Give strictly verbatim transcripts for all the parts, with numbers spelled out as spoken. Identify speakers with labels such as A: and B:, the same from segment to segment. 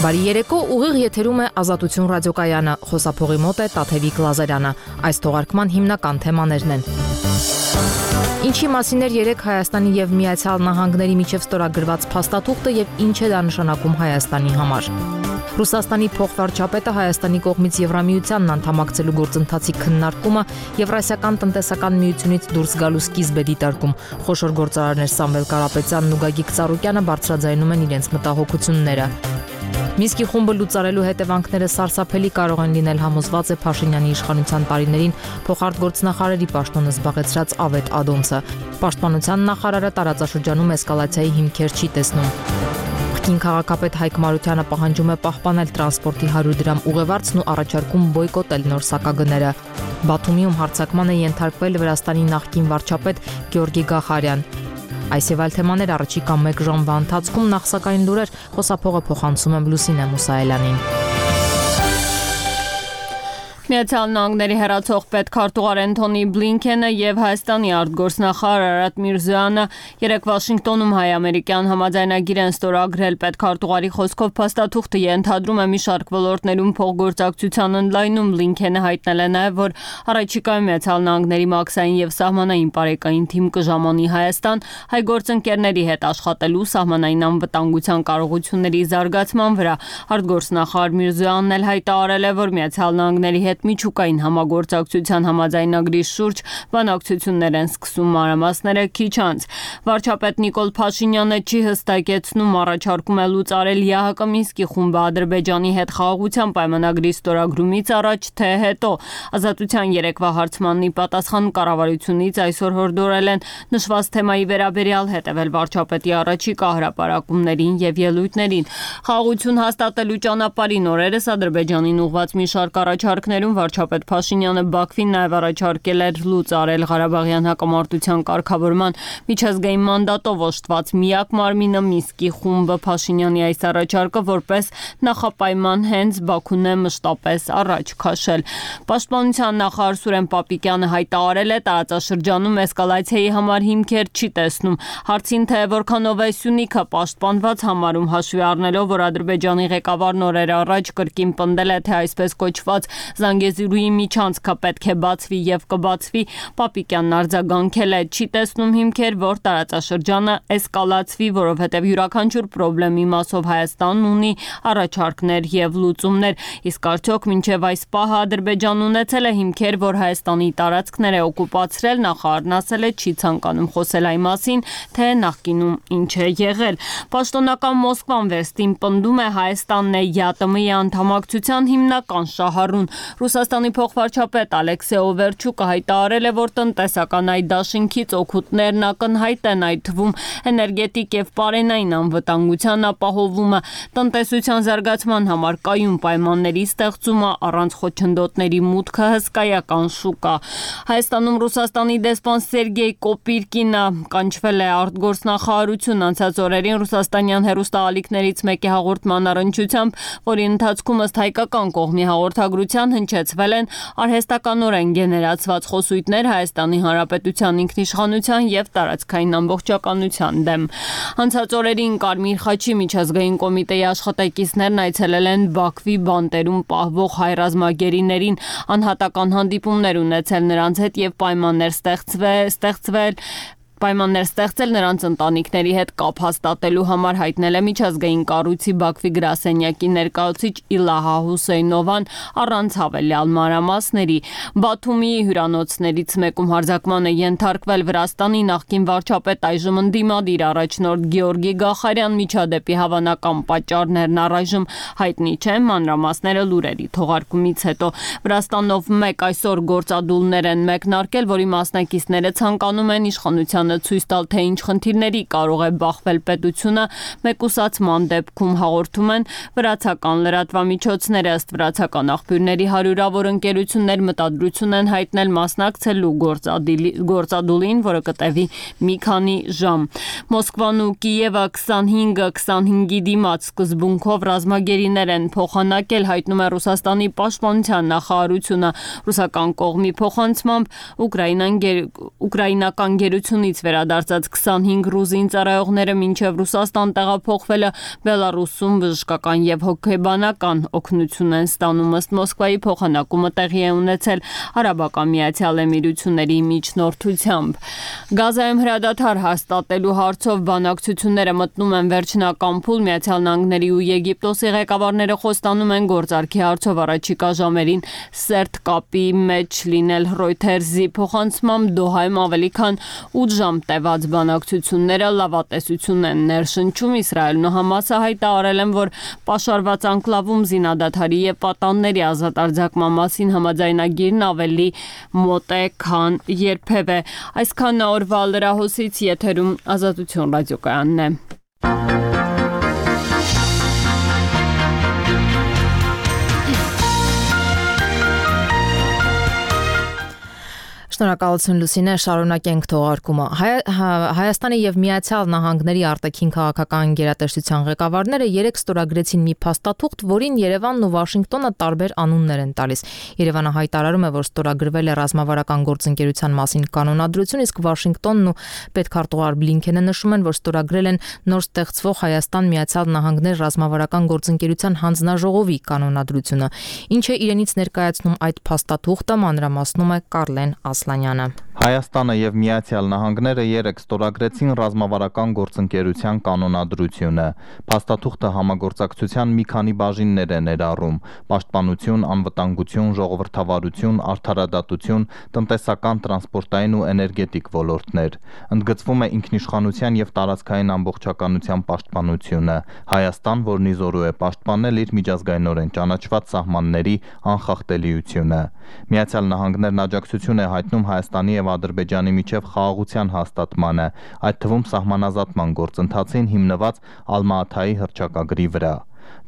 A: Բարի երեկո, ուղիղ եթերում է Ազատություն ռադիոկայանը, խոսափողի մոտ է Տաթևիկ Լազարյանը, այս թողարկման հիմնական թեմաներն են։ Ինչի մասին էր երեկ Հայաստանի եւ Միացյալ Նահանգների միջև ստորագրված փաստաթուղթը եւ ինչ է դա նշանակում Հայաստանի համար։ Ռուսաստանի փոխվարչապետը Հայաստանի կողմից Եվրամիությանն անդամակցելու գործընթացի քննարկումը Եվրասիական տնտեսական միությունից դուրս գալու սկիզբ է դիտարկում։ Խոշոր գործարարներ Սամվել Կարապետյանն ու Գագիկ Ծառուկյանը բարձրաձայնում են իրենց մտահոգությունները։ Մինսկի խումբը լուծարելու հետևանքները սարսափելի կարող են լինել, համոզված է Փաշինյանի իշխանության տարիներին փոխարտգործնախարարի պաշտոնը զբաղեցրած Ավետ Ադոնցը։ Պաշտպանության նախարարը տարածաշրջանում էսկալացիայի հիմքեր չի տեսնում։ Աղքին քաղաքապետ Հայկ Մարությանը պահանջում է պահպանել տրանսպորտի հարյուր դրամ ուղևորցն ու առաջարկում բոյկոտել նոր սակագները։ Բաթումիում հարձակման է ենթարկվել Վրաստանի նախկին վարչապետ Գեորգի Գախարյան։ Այս եւ այլ թեմաներ առաջիկա մեկ ժամվա ընթացքում, նախ սակայն լուրեր, խոսափողը փոխանցում եմ Լուսինե Մուսայելյանին։
B: Միացյալ Նահանգների հեռացող պետքարտուղար Էնթոնի Բլինքենը եւ Հայաստանի արտգործնախարար Արարատ Միրզոյանը երեկ Վաշինգտոնում հայ-ամերիկյան համաձայնագիր են ստորագրել։ Պետքարտուղարի խոսքով փաստաթուղթը ենթադրում է մի շարք ոլորտներում փոխգործակցության ընդլայնում։ Բլինքենը հայտնել է նաեւ, որ առաջիկայում Միացյալ Նահանգների մաքսային եւ սահմանային բարեկային թիմ կժամանի Հայաստան հայ գործընկերների հետ աշխատելու սահմանային անվտանգության կարողությունների զարգացման վրա։ Արտգործնախարար Միրզոյանն էլ հայտարարել է, որ Միացյալ Նահանգների հետ միջուկային համագործակցության համաձայնագրի շուրջ բանակցություններ են սկսում, մանրամասները քիչ անց։ Վարչապետ Նիկոլ Փաշինյանը չի հստակեցնում, առաջարկում է լուծարել ԵԱՀԿ Մինսկի խումբը Ադրբեջանի հետ խաղաղության պայմանագրի ստորագրումից առաջ, թե հետո։ Ազատության երեկվա հարցմանի պատասխան կառավարությունից այսօր հորդորել են նշված թեմայի վերաբերյալ հետևել վարչապետի առաջիկա հրապարակումներին եւ ելույթներին։ Խաղաղություն հաստատելու ճանապարհին օրերս Ադրբեջանին ուղղված մի շարք առաջարկներ վարչապետ Փաշինյանը Բաքվին նաև առաջարկել էր լուծարել Ղարաբաղյան հակամարտության կարգավորման միջազգային մանդատով օժտված միակ մարմինը Մինսկի խումբը։ Փաշինյանի այս առաջարկը որպես նախապայման հենց Բաքուն է մշտապես առաջ քաշել։ Պաշտպանության նախարար Սուրեն Պապիկյանը հայտարարել է, տարածաշրջանում էսկալացիայի համար հիմքեր չի տեսնում։ Հարցին, թե որքանով է Սյունիքը պաշտպանված համարում, հաշվի առնելով, որ Ադրբեջանի ղեկավարն օրեր առաջ կրկին պնդել է, թե այսպես կոչված Զանգեզուրի միջանցքը պետք է բացվի եւ կբացվի, Պապիկյանն արձագանքել է, չի տեսնում հիմքեր, որ տարածաշրջանը էսկալացվի, որովհետեւ յուրաքանչյուր խնդրի մասով Հայաստանն ունի առաջարկներ եւ լուծումներ։ Իսկ արդյոք մինչեւ այս պահը Ադրբեջանն ունեցել է հիմքեր, որ Հայաստանի տարածքներ է օկուպացրել, նախարարն ասել է, չի ցանկանում խոսել այն մասին, թե նախկինում ինչ է եղել։ Պաշտոնական Մոսկվան վերստին պնդում է Հայաստանն է ԵԱՏՄ-ի անդամակցության հիմնական շահառուն։ Ռուսաստանի փոխվարչապետ Ալեքսեյ Օվերչուկը հայտարարել է, որ տնտեսական այդ դաշինքից օգուտներն ակնհայտ են, այդ թվում էներգետիկ եւ պարենային անվտանգության ապահովումը, տնտեսության զարգացման համար կայուն պայմանների ստեղծումը, առանց խոչընդոտների մուտքը հսկայական շուկա։ Հայաստանում Ռուսաստանի դեսպան Սերգեյ Կոպիրկինը կանչվել է արտգործնախարարություն անցած օրերին ռուսաստանյան հեռուստաալիքներից մեկի հաղորդման առնչությամբ, որի ընթացքում ըստ հայկական կողմի հաղորդագրության հնչեցվել են արհեստականորեն գեներացված խոսույթներ Հայաստանի Հանրապետության ինքնիշխանության եւ տարածքային ամբողջականության դեմ։ Անցած օրերին Կարմիր խաչի միջազգային կոմիտեի աշխատակիցներն այցելել են Բաքվի բանտերում պահվող հայ ռազմագերիներին, անհատական հանդիպումներ ունեցել նրանց հետ եւ պայմաններ ստեղծվել, ստեղծվել Պայմաններ ստեղծել նրանց ընտանիքների հետ կապ հաստատելու համար, հայտնել է միջազգային կառույցի Բաքվի գրասենյակի ներկայացուցիչ Իլահա Հուսեյնովան առանց հավելյալ մանրամասների։ Բաթումի հյուրանոցներից մեկում հարձակման է ենթարկվել Վրաստանի նախկին վարչապետ, այժմ ընդդիմադիր առաջնորդ Գեորգի Գախարյան, միջադեպի հավանական պատճառներն առայժմ հայտնի չեն, մանրամասները լուրերի թողարկումից հետո։ Վրաստանով մեկ այսօր գործադուլներ են մեկնարկել, որի մասնակիցները ցանկանում են իշխանության ցույց տալ, թե ինչ խնդիրների կարող է բախվել պետությունը, մեկուսացման դեպքում հաղորդում են վրացական լրատվամիջոցները։ Ըստ վրացական աղբյուրների հարյուրավոր ընկերություններ մտադրություն են հայտնել մասնակցելու գործադուլին, որը կտևի մի քանի ժամ։ Մոսկվան ու Կիևը քսանհինգը քսանհինգի դիմաց սկզբունքով ռազմագերիներ են փոխանակել, հայտնում է Ռուսաստանի պաշտպանության նախարարությունը։ Ռուսական կողմի փոխանցմամբ ուկրաինական գերությունից վերադարձած քսանհինգ ռուզին ծառայողները մինչև Ռուսաստան տեղափոխվելը Բելարուսում բժշկական եւ հոգեբանական օգնություն են ստանում, ըստ Մոսկվայի փոխանակումը տեղի է ունեցել Արաբական Միացյալ Էմիրությունների միջնորդությամբ։ Գազայում հրադադար հաստատելու հարցով բանակցությունները մտնում են վերջնական փուլ, Միացյալ Նահանգների ու Եգիպտոսի ղեկավարները խոստանում են գործարքի հարցով առաջիկա ժամերին սերտ կապի մեջ լինել։ Reuters-ի փոխանցմամբ Դոհայում ավելի քան ութ ժամ տևած բանակցությունները լավատեսություն են ներշնչում։ Իսրայելն ու Համասը հայտարարել են, որ պաշարված անկլավում զինադադարի եւ պատանների ազատ արձակման մասին համաձայնագիրն ավելի մոտ է, քան երբևէ։ Այսքան օրվա լրահոսից եթերում Ազատություն ռադիոկայանն է։
A: Շնորհակալություն Լուսինե, շարունակենք թողարկումը։ Հայաստանի եւ Միացյալ Նահանգների արտաքին քաղաքական գերատեսչության ղեկավարները երեք ստորագրեցին մի փաստաթուղթ, որին Երևանն ու Վաշինգտոնը տարբեր անուններ են տալիս։ Երևանը հայտարարում է, որ ստորագրվել է ռազմավարական գործընկերության մասին կանոնադրություն, իսկ Վաշինգտոնն ու պետքարտուղար Բլինքենը նշում են, որ ստորագրել են նոր ստեղծվող Հայաստան-Միացյալ Նահանգներ ռազմավարական գործընկերության հանձնաժողովի կանոնադրությունը։ Ինչ է իրենից ներկայացնում այդ փաստաթուղթը, մանրամասնում է Կարլեն Ասլանյանը։
C: Հայաստանը եւ Միացյալ Նահանգները երեք ստորագրեցին ռազմավարական գործընկերության կանոնադրությունը։ Փաստաթուղթը համագործակցության մի քանի բաժիններ է ներառում՝ պաշտպանություն, անվտանգություն, ժողովրդավարություն, արդարադատություն, տնտեսական, տրանսպորտային ու էներգետիկ ոլորտներ։ Ընդգծվում է ինքնիշխանության եւ տարածքային ամբողջականության պաշտպանությունը։ Հայաստան, որն իզորու է պաշտպանել իր միջազգայինորեն ճանաչված սահմանների անխախտելիությունը։ Միացյալ Նահանգներն աջակցություն է հայտնում Հայաստանի եւ Ադրբեջանի միջև խաղաղության հաստատմանը, այդ թվում սահմանազատման գործընթացին հիմնված Ալմա-Աթայի հռչակագրի վրա։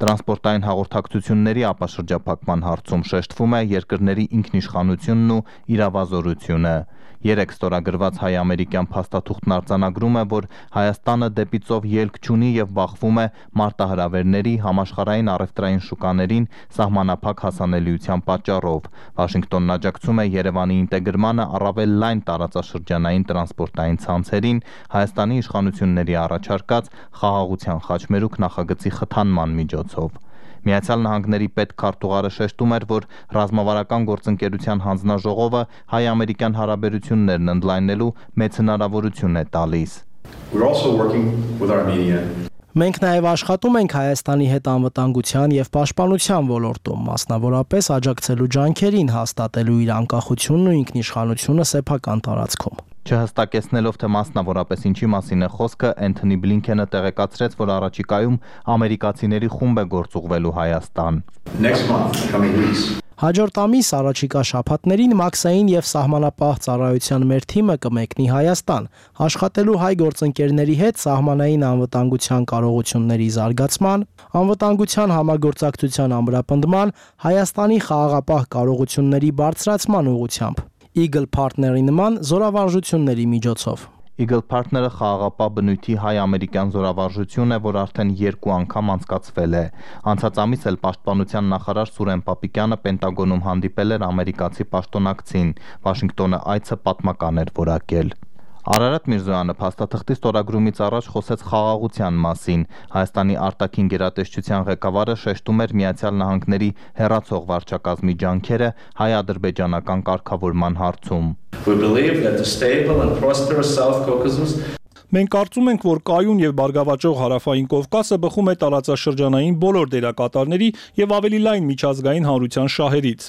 C: Տրանսպորտային հաղորդակցությունների ապաշրջափակման հարցում շեշտվում է երկրների ինքնիշխանությունն ու իրավազորությունը։ Երեք ստորագրված հայ-ամերիկյան փաստաթուղթն արձանագրում է, որ Հայաստանը դեպի ծով ելք չունի եւ բախվում է մարտահրավերների, համաշխարհային առևտրային շուկաներին սահմանափակ հասանելիության պատճառով։ Վաշինգտոնն աջակցում է Երևանի ինտեգրմանը առավել լայն տարածաշրջանային տրանսպորտային ցանցերին Հայաստանի իշխանությունների առաջարկած խաղաղության խաչմերուկ նախագծի խթանման միջոցով։ Միացյալ Նահանգների պետքարտուղարը շեշտում էր, որ ռազմավարական գործընկերության հանձնաժողովը հայ-ամերիկյան հարաբերություններն ընդլայնելու մեծ հնարավորություն է տալիս։
D: Մենք նաև աշխատում ենք Հայաստանի հետ անվտանգության եւ պաշտպանության ոլորտում, մասնավորապես աջակցելու ջանքերին հաստատելու իր անկախությունն ու ինքնիշխանությունը սեփական տարածքում։
C: Չհստակեցնելով, թե մասնավորապես ինչի մասին է խոսքը, Էնթոնի Բլինքենը տեղեկացրեց, որ առաջիկայում ամերիկացիների խումբ է գործուղվելու Հայաստան։
D: Հաջորդ ամիս առաջիկա շաբաթներին Մաքսային եւ սահմանապահ ծառայության մեր թիմը կմեկնի Հայաստան, աշխատելու հայ գործընկերների հետ սահմանային անվտանգության կարողությունների զարգացման, անվտանգության համագործակցության ամրապնդման, Հայաստանի խաղաղապահ կարողությունների բարձրացման ուղղությամբ, Eagle Partner-ի նման զորավարժությունների միջոցով։
C: Eagle Partner-ը խաղաղապահ բնույթի հայ-ամերիկյան զորավարժություն է, որ արդեն երկու անգամ անցկացվել է։ Անցած ամիս էլ պաշտպանության նախարար Սուրեն Պապիկյանը Պենտագոնում հանդիպել էր ամերիկացի պաշտոնակցին։ Վաշինգտոնը այցը պատմական էր որակել։ Արարատ Միրզոյանը փաստաթղթի ստորագրումից առաջ խոսեց խաղաղության մասին։ Հայաստանի արտաքին գերատեսչության ղեկավարը շեշտում էր Միացյալ Նահանգների հեռացող վարչակազմի ջանքերը հայ-ադրբեջանական կարգավորման հարցում։
E: Մենք կարծում ենք, որ կայուն եւ բարգավաճող հարավային Կովկասը բխում է տարածաշրջանային բոլոր դերակատարների եւ ավելի լայն միջազգային հանրության շահերից։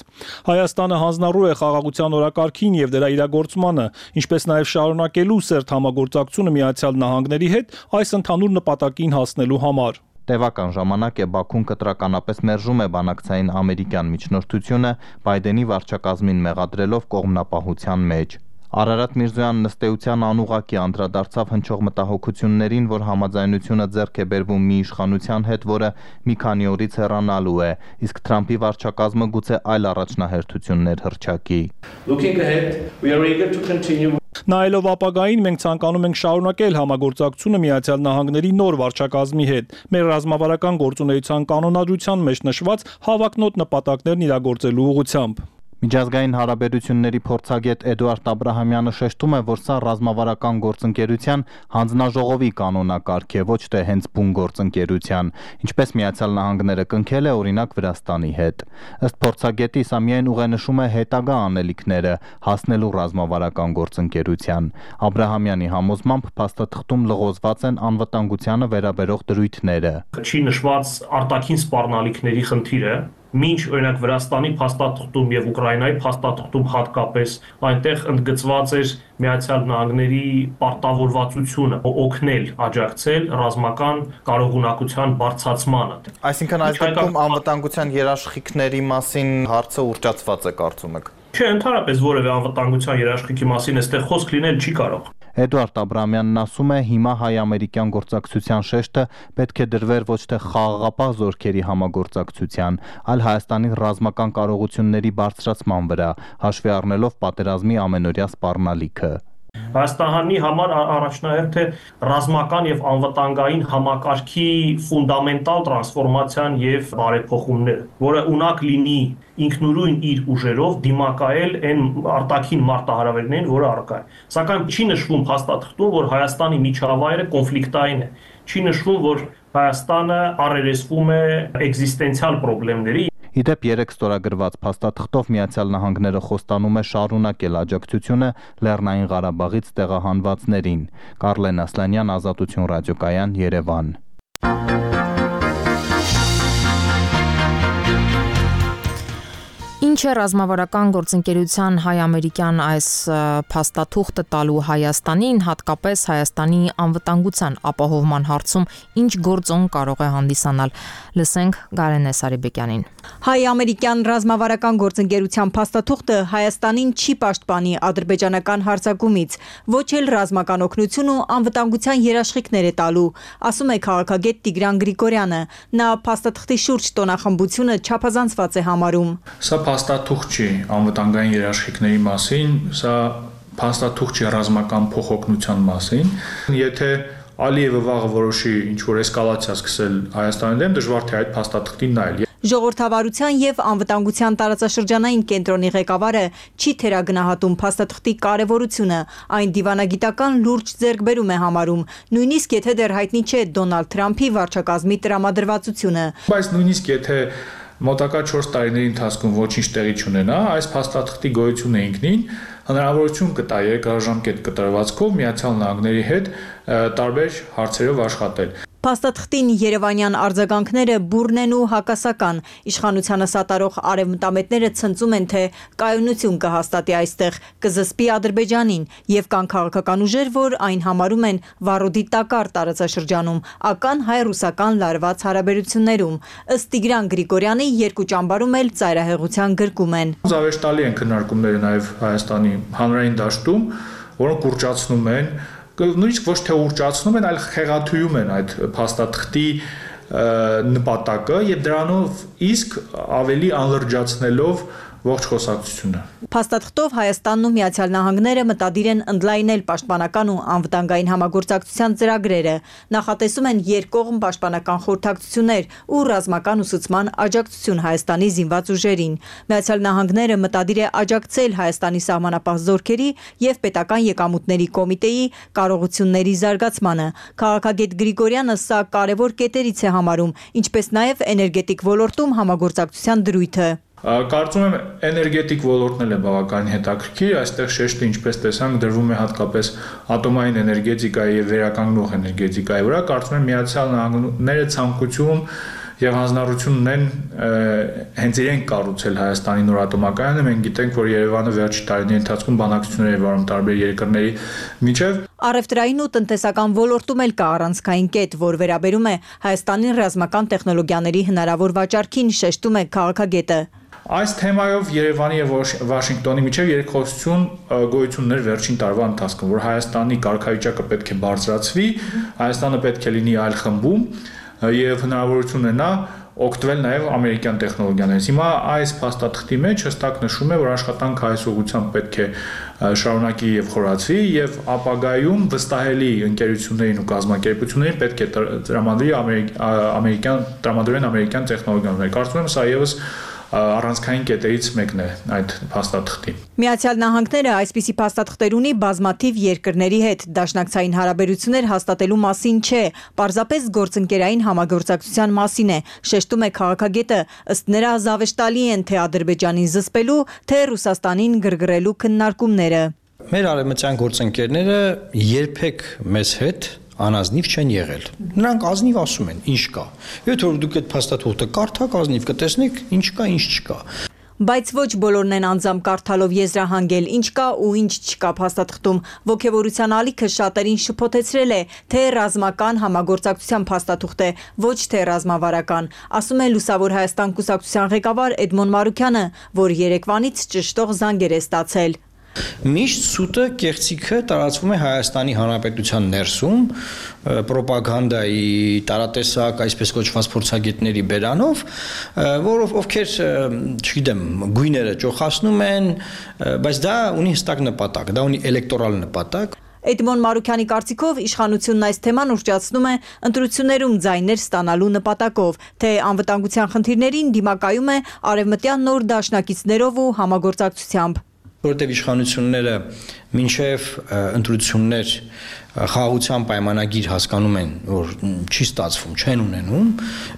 E: Հայաստանը հանձնառու է խաղաղության օրակարգին եւ դրա իրագործմանը, ինչպես նաեւ շարունակելու սերտ համագործակցությունը Միացյալ Նահանգների հետ այս ընդհանուր նպատակին հասնելու համար։
C: Տևական ժամանակ է Բաքուն կտրականապես մերժում է բանակցային ամերիկյան միջնորդությունը, Բայդենի վարչակազմին մեղադրելով կողմնապահության մեջ։ Արարատ Միրզոյանն ըստ էության անուղղակի անդրադարձավ հնչող մտահոգություններին, որ համաձայնությունը ձեռք է բերվում մի իշխանության հետ, որը մի քանի օրից հեռանալու է, իսկ Թրամփի վարչակազմը գուցե այլ առաջնահերթություններ հռչակի։
E: Նայելով ապագային, մենք ցանկանում ենք շարունակել համագործակցությունը Միացյալ Նահանգների նոր վարչակազմի հետ, մեր ռազմավարական գործունեության կանոնադրության մեջ նշված հավակնոտ նպատակներն իրագործելու ուղղությամբ։
C: Միջազգային հարաբերությունների փորձագետ Էդուարդ Աբրահամյանը շեշտում է, որ սա ռազմավարական գործընկերության հանձնաժողովի կանոնակարգ է, ոչ թե հենց բուն գործընկերության, ինչպես Միացյալ Նահանգները կնքել է օրինակ Վրաստանի հետ։ Ըստ փորձագետի, սա միայն ուղենշում է հետագա անելիքները հասնելու ռազմավարական գործընկերության։ Աբրահամյանի համոզմամբ փաստաթղթում լղոզված են անվտանգությանը վերաբերող դրույթները։
F: Չի նշված արտաքին սպառնալիքների խնդիրը, մինչ օրինակ Վրաստանի փաստաթղթում եւ Ուկրաինայի փաստաթղթում հատկապես այնտեղ ընդգծված էր Միացյալ Նահանգների պարտավորվածությունը օգնել, աջակցել ռազմական կարողունակության բարձրացմանը։
C: Այսինքն այս դեպքում անվտանգության երաշխիքների մասին հարցը ուռճացված է, կարծում եք։
F: Չէ, ընդհանրապես որևէ անվտանգության երաշխիքի մասին այստեղ խոսք լինել չի կարող։
C: Էդուարդ Աբրահամյանն ասում է, հիմա հայ-ամերիկյան գործակցության շեշտը պետք է դրվեր ոչ թե խաղաղապահ զորքերի համագործակցության, այլ Հայաստանի ռազմական կարողությունների բարձրացման վրա, հաշվի առնելով պատերազմի ամենօրյա սպառնալիքը։
F: Հայաստանի համար առաջնահերթ է ռազմական եւ անվտանգային համակարգի ֆունդամենտալ տրանսֆորմացիան եւ բարեփոխումները, որը ունակ լինի ինքնուրույն իր ուժերով դիմակայել այն արտաքին մարտահրավերներին, որը առկա է։ Սակայն չի նշվում փաստաթղթում, որ Հայաստանի միջավայրը կոնֆլիկտային է։ Չի նշվում, որ Հայաստանը առերեսվում է էկզիստենցիալ խնդիրների։
C: Իդեպ երեք ստորագրված փաստաթղթով Միացյալ Նահանգները խոստանում է շարունակել աջակցությունը Լեռնային Ղարաբաղից տեղահանվածներին։ Կարլեն Ասլանյան, Ազատություն ռադիոկայան, Երևան։
A: Ինչ է ռազմավարական գործընկերության հայ-ամերիկյան այս փաստաթուղթը տալու Հայաստանին, հատկապես Հայաստանի անվտանգության ապահովման հարցում ինչ գործոն կարող է հանդիսանալ։ Լսենք Գարենե Սարիբեկյանին։
G: Հայ-ամերիկյան ռազմավարական գործընկերության փաստաթուղթը Հայաստանին չի պաշտպանի ադրբեջանական հարձակումից, ոչ էլ ռազմական օգնություն ու անվտանգության երաշխիքներ է տալու, ասում է քաղաքագետ Տիգրան Գրիգորյանը։ Նա փաստաթղթի շուրջ տոնախմբությունը չափազանցված է համարում։
H: Սա փաստաթուղթ չի անվտանգային երաշխիքների մասին, սա փաստաթուղթ չի ռազմական փոխօգնության մասին։ Եթե Ալիևը վաղը որոշի ինչ-որ էսկալացիա սկսել Հայաստանի դեմ, դժվար թե այդ փաստաթղթին նայել։
G: Ժողովրդավարության եւ անվտանգության տարածաշրջանային կենտրոնի ղեկավարը չի թերագնահատում փաստաթղթի կարևորությունը, այն դիվանագիտական լուրջ ձեռքբերում է համարում, նույնիսկ եթե դեռ հայտնի չէ Դոնալդ Թրամփի վարչակազմի տրամադրվածությունը։
H: Բայց նույնիսկ եթե մոտակա չորս տարիների ընթացքում ոչինչ տեղի չունենա, այս փաստաթղթի գոյությունը ինքնին հնարավորություն կտա երկարաժամկետ կտրվածքով Միացյալ Նահանգների հետ տարբեր հարցերով աշխատել։
G: Փաստաթղթին երևանյան արձագանքները բուռն են ու հակասական։ Իշխանությանը սատարող արևմտամետները ցնծում են, թե կայունություն կհաստատի այստեղ, կզսպի Ադրբեջանին, եւ կան քաղաքական ուժեր, որ այն համարում են վառոդի տակառ տարածաշրջանում, ական հայ-ռուսական լարված հարաբերություններում։ Ըստ Տիգրան Գրիգորյանի երկու ճամբարում էլ ծայրահեղության գրկում են։
H: Զավեշտալի են քննարկումները նաեւ Հայաստանի հանրային դաշտում, որոնք ուռճացնում են նույնիսկ ոչ թե ուռճացնում են, այլ խեղաթյուրում են այդ փաստաթղթի նպատակը եւ դրանով իսկ ավելի անլրջացնելով ողջ խոսակցությունը։
G: Փաստաթղթով Հայաստանն ու Միացյալ Նահանգները մտադիր են ընդլայնել պաշտպանական ու անվտանգային համագործակցության ծրագրերը, նախատեսում են երկկողմ պաշտպանական խորհրդակցություններ ու ռազմական ուսուցման աջակցություն Հայաստանի զինված ուժերին։ Միացյալ Նահանգները մտադիր է աջակցել Հայաստանի սահմանապահ զորքերի եւ պետական եկամուտների կոմիտեի կարողությունների զարգացմանը։ Քաղաքագետ Գրիգորյանը սա կարևոր կետերից է համարում, ինչպես նաեւ էներգետիկ ոլորտում համագործակցության դրույթը։
H: Կարծում եմ էներգետիկ ոլորտն էլ է բավականին հետաքրքիր, այստեղ շեշտը ինչպես տեսանք դրվում է հատկապես ատոմային էներգետիկայի եւ վերականգնող էներգետիկայի վրա, կարծում եմ Միացյալ Նահանգները ցանկություն եւ հանձնառություն ունեն հենց իրենք կառուցել Հայաստանի նոր ատոմակայանը։ Մենք գիտենք, որ Երևանը վերջի տարիների ընթացքում բանակցություններ է վարում տարբեր երկրների միջև։
G: Առևտրային ու տնտեսական ոլորտում էլ կա առանցքային կետ, որ վերաբերում է Հայաստանի ռազմական տեխնոլոգիաների հնարավոր վաճառքին, շեշտում է քաղաքագետը։
H: Այս թեմայով Երևանի եւ Վաշինգտոնի միջև երկխոսություն գոյություն ուներ վերջին տարվա ընթացքում, որ Հայաստանի կարգավիճակը պետք է բարձրացվի, Հայաստանը պետք է լինի այլ խմբում եւ հնարավորություն ունենա օգտվել նաեւ ամերիկյան տեխնոլոգիաներից։ Հիմա այս փաստաթղթի մեջ հստակ նշում է, որ աշխատանքը այս ուղղությամբ պետք է շարունակի եւ խորացվի եւ ապագայում վստահելի ընկերություններին ու կազմակերպություններին պետք է տրամադրի ամերիկյան տրամադրեն ամերիկյան տեխնոլոգիաներ։ Կարծում եմ սա եւս առանցքային կետերից մեկն է այդ փաստաթղթի։
G: Միացյալ Նահանգները այսպիսի փաստաթղթեր ունի բազմաթիվ երկրների հետ, դաշնակցային հարաբերություններ հաստատելու մասին չէ, պարզապես գործընկերային համագործակցության մասին է, շեշտում է քաղաքագետը, ըստ նրա զավեշտալի են թե Ադրբեջանին զսպելու, թե Ռուսաստանին գրգռելու քննարկումները։
I: Մեր արևմտյան գործընկերները երբեք մեզ հետ անազնիվ չեն եղել։ Նրանք ազնիվ ասում են, ինչ կա։ Եթե որ դուք այդ փաստաթուղթը կարդաք, ազնիվ կտեսնեք, ինչ կա, ինչ չկա։
G: Բայց ոչ բոլորն են անձամբ կարդալով եզրահանգել, ինչ կա ու ինչ չկա փաստաթղթում։ Ոգևորության ալիքը շատերին շփոթեցրել է, թե ռազմական համագործակցության փաստաթուղթ է, ոչ թե ռազմավարական, ասում է Լուսավոր Հայաստան կուսակցության ղեկավար Էդմոն Մարուքյանը, որ Երևանից ճշտող զանգեր է ստացել։
I: Միշտ սուտը, կեղծիքը տարածվում է Հայաստանի Հանրապետության ներսում, պրոպագանդայի տարատեսակ, այսպես կոչված փորձագետների բերանով, որով ովքեր, չգիտեմ, գույները ճոխացնում են, բայց դա ունի հստակ նպատակ, դա ունի էլեկտորալ նպատակ։
G: Էդմոն Մարուքյանի կարծիքով իշխանությունն այս թեման ուռճացնում է ընտրություններում ձայներ ստանալու նպատակով, թե անվտանգության խնդիրներին դիմակայում է արևմտյան նոր դաշնակիցներով ու համագործակցությամբ։
I: Որտեղ իշխանությունները մինչև ընտրություններ խաղաղության պայմանագիր հասկանում են, որ չի ստացվում, չեն ունենում,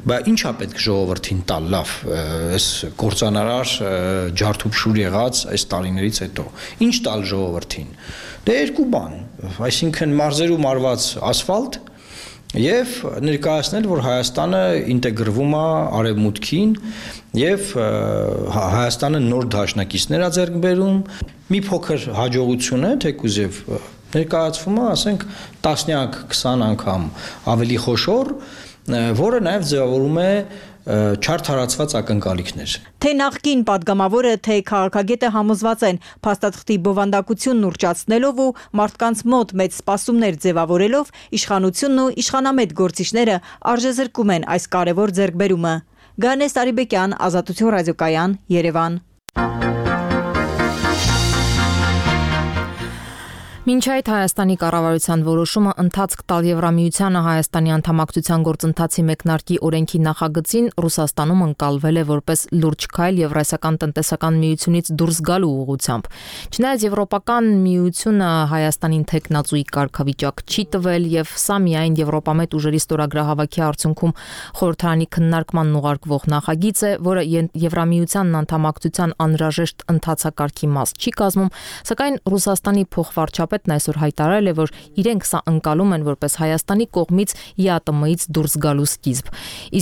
I: բայց ինչա պետք ժողովրդին տալ, լավ, այս կործանարար ջարդուփշուր եղած այս տարիներից հետո, ինչ տալ ժողովրդին։ Դե երկու բան, այսինքն մարզերում արված ասֆալտ եւ ներկայացնել, որ Հայաստանը ինտեգրվում է արևմուտքին եւ Հայաստանը նոր դաշնակիցներ է ձեռք բերում, մի փոքր հաջողություն է, թեկուզ եւ ներկայացվում է, ասենք տասնյակ քսան անգամ ավելի խոշոր, որը նաեւ ձևավորում է չարթարացված ակնկալիքներ։
G: Թե նախկին падգամավորը, թե քաղաքագետը համոզված են փաստաթղթի բովանդակությունն ուռճացնելով ու մարդկանց մոտ մեծ սպասումներ ձևավորելով, իշխանությունն ու իշխանամետ գործիչները արժեզրկում են այս կարևոր ձեռքբերումը։ Գանես Արիբեկյան, Ազատություն ռադիոկայան, Երևան։
A: Մինչ այդ Հայաստանի կառավարության որոշումը ընթացք տալ Եվրամիությանը Հայաստանի անդամակցության գործընթացի մեկնարկի օրենքի նախագծին Ռուսաստանում ընկալվել է որպես լուրջ քայլ Եվրասիական տնտեսական միությունից դուրս գալու ուղղությամբ։ Չնայած Եվրոպական միությունը Հայաստանին թեկնածուի կարգավիճակ չի տվել եւ սա միայն Եվրոպամետ ուժերի ստորագրահավաքի արդյունքում խորհրդարանի քննարկման ուղարկվող նախագիծ է, որը Եվրամիությանն անդամակցության անհրաժեշտ ընթացակարգի մաս չի կազմում, սակայն Ռուսաստանի փոխվարչապետ այսօր հայտարարել է, որ իրենք սա ընկալում են որպես Հայաստանի կողմից ԵԱՏՄ-ից դուրս գալու սկիզբ։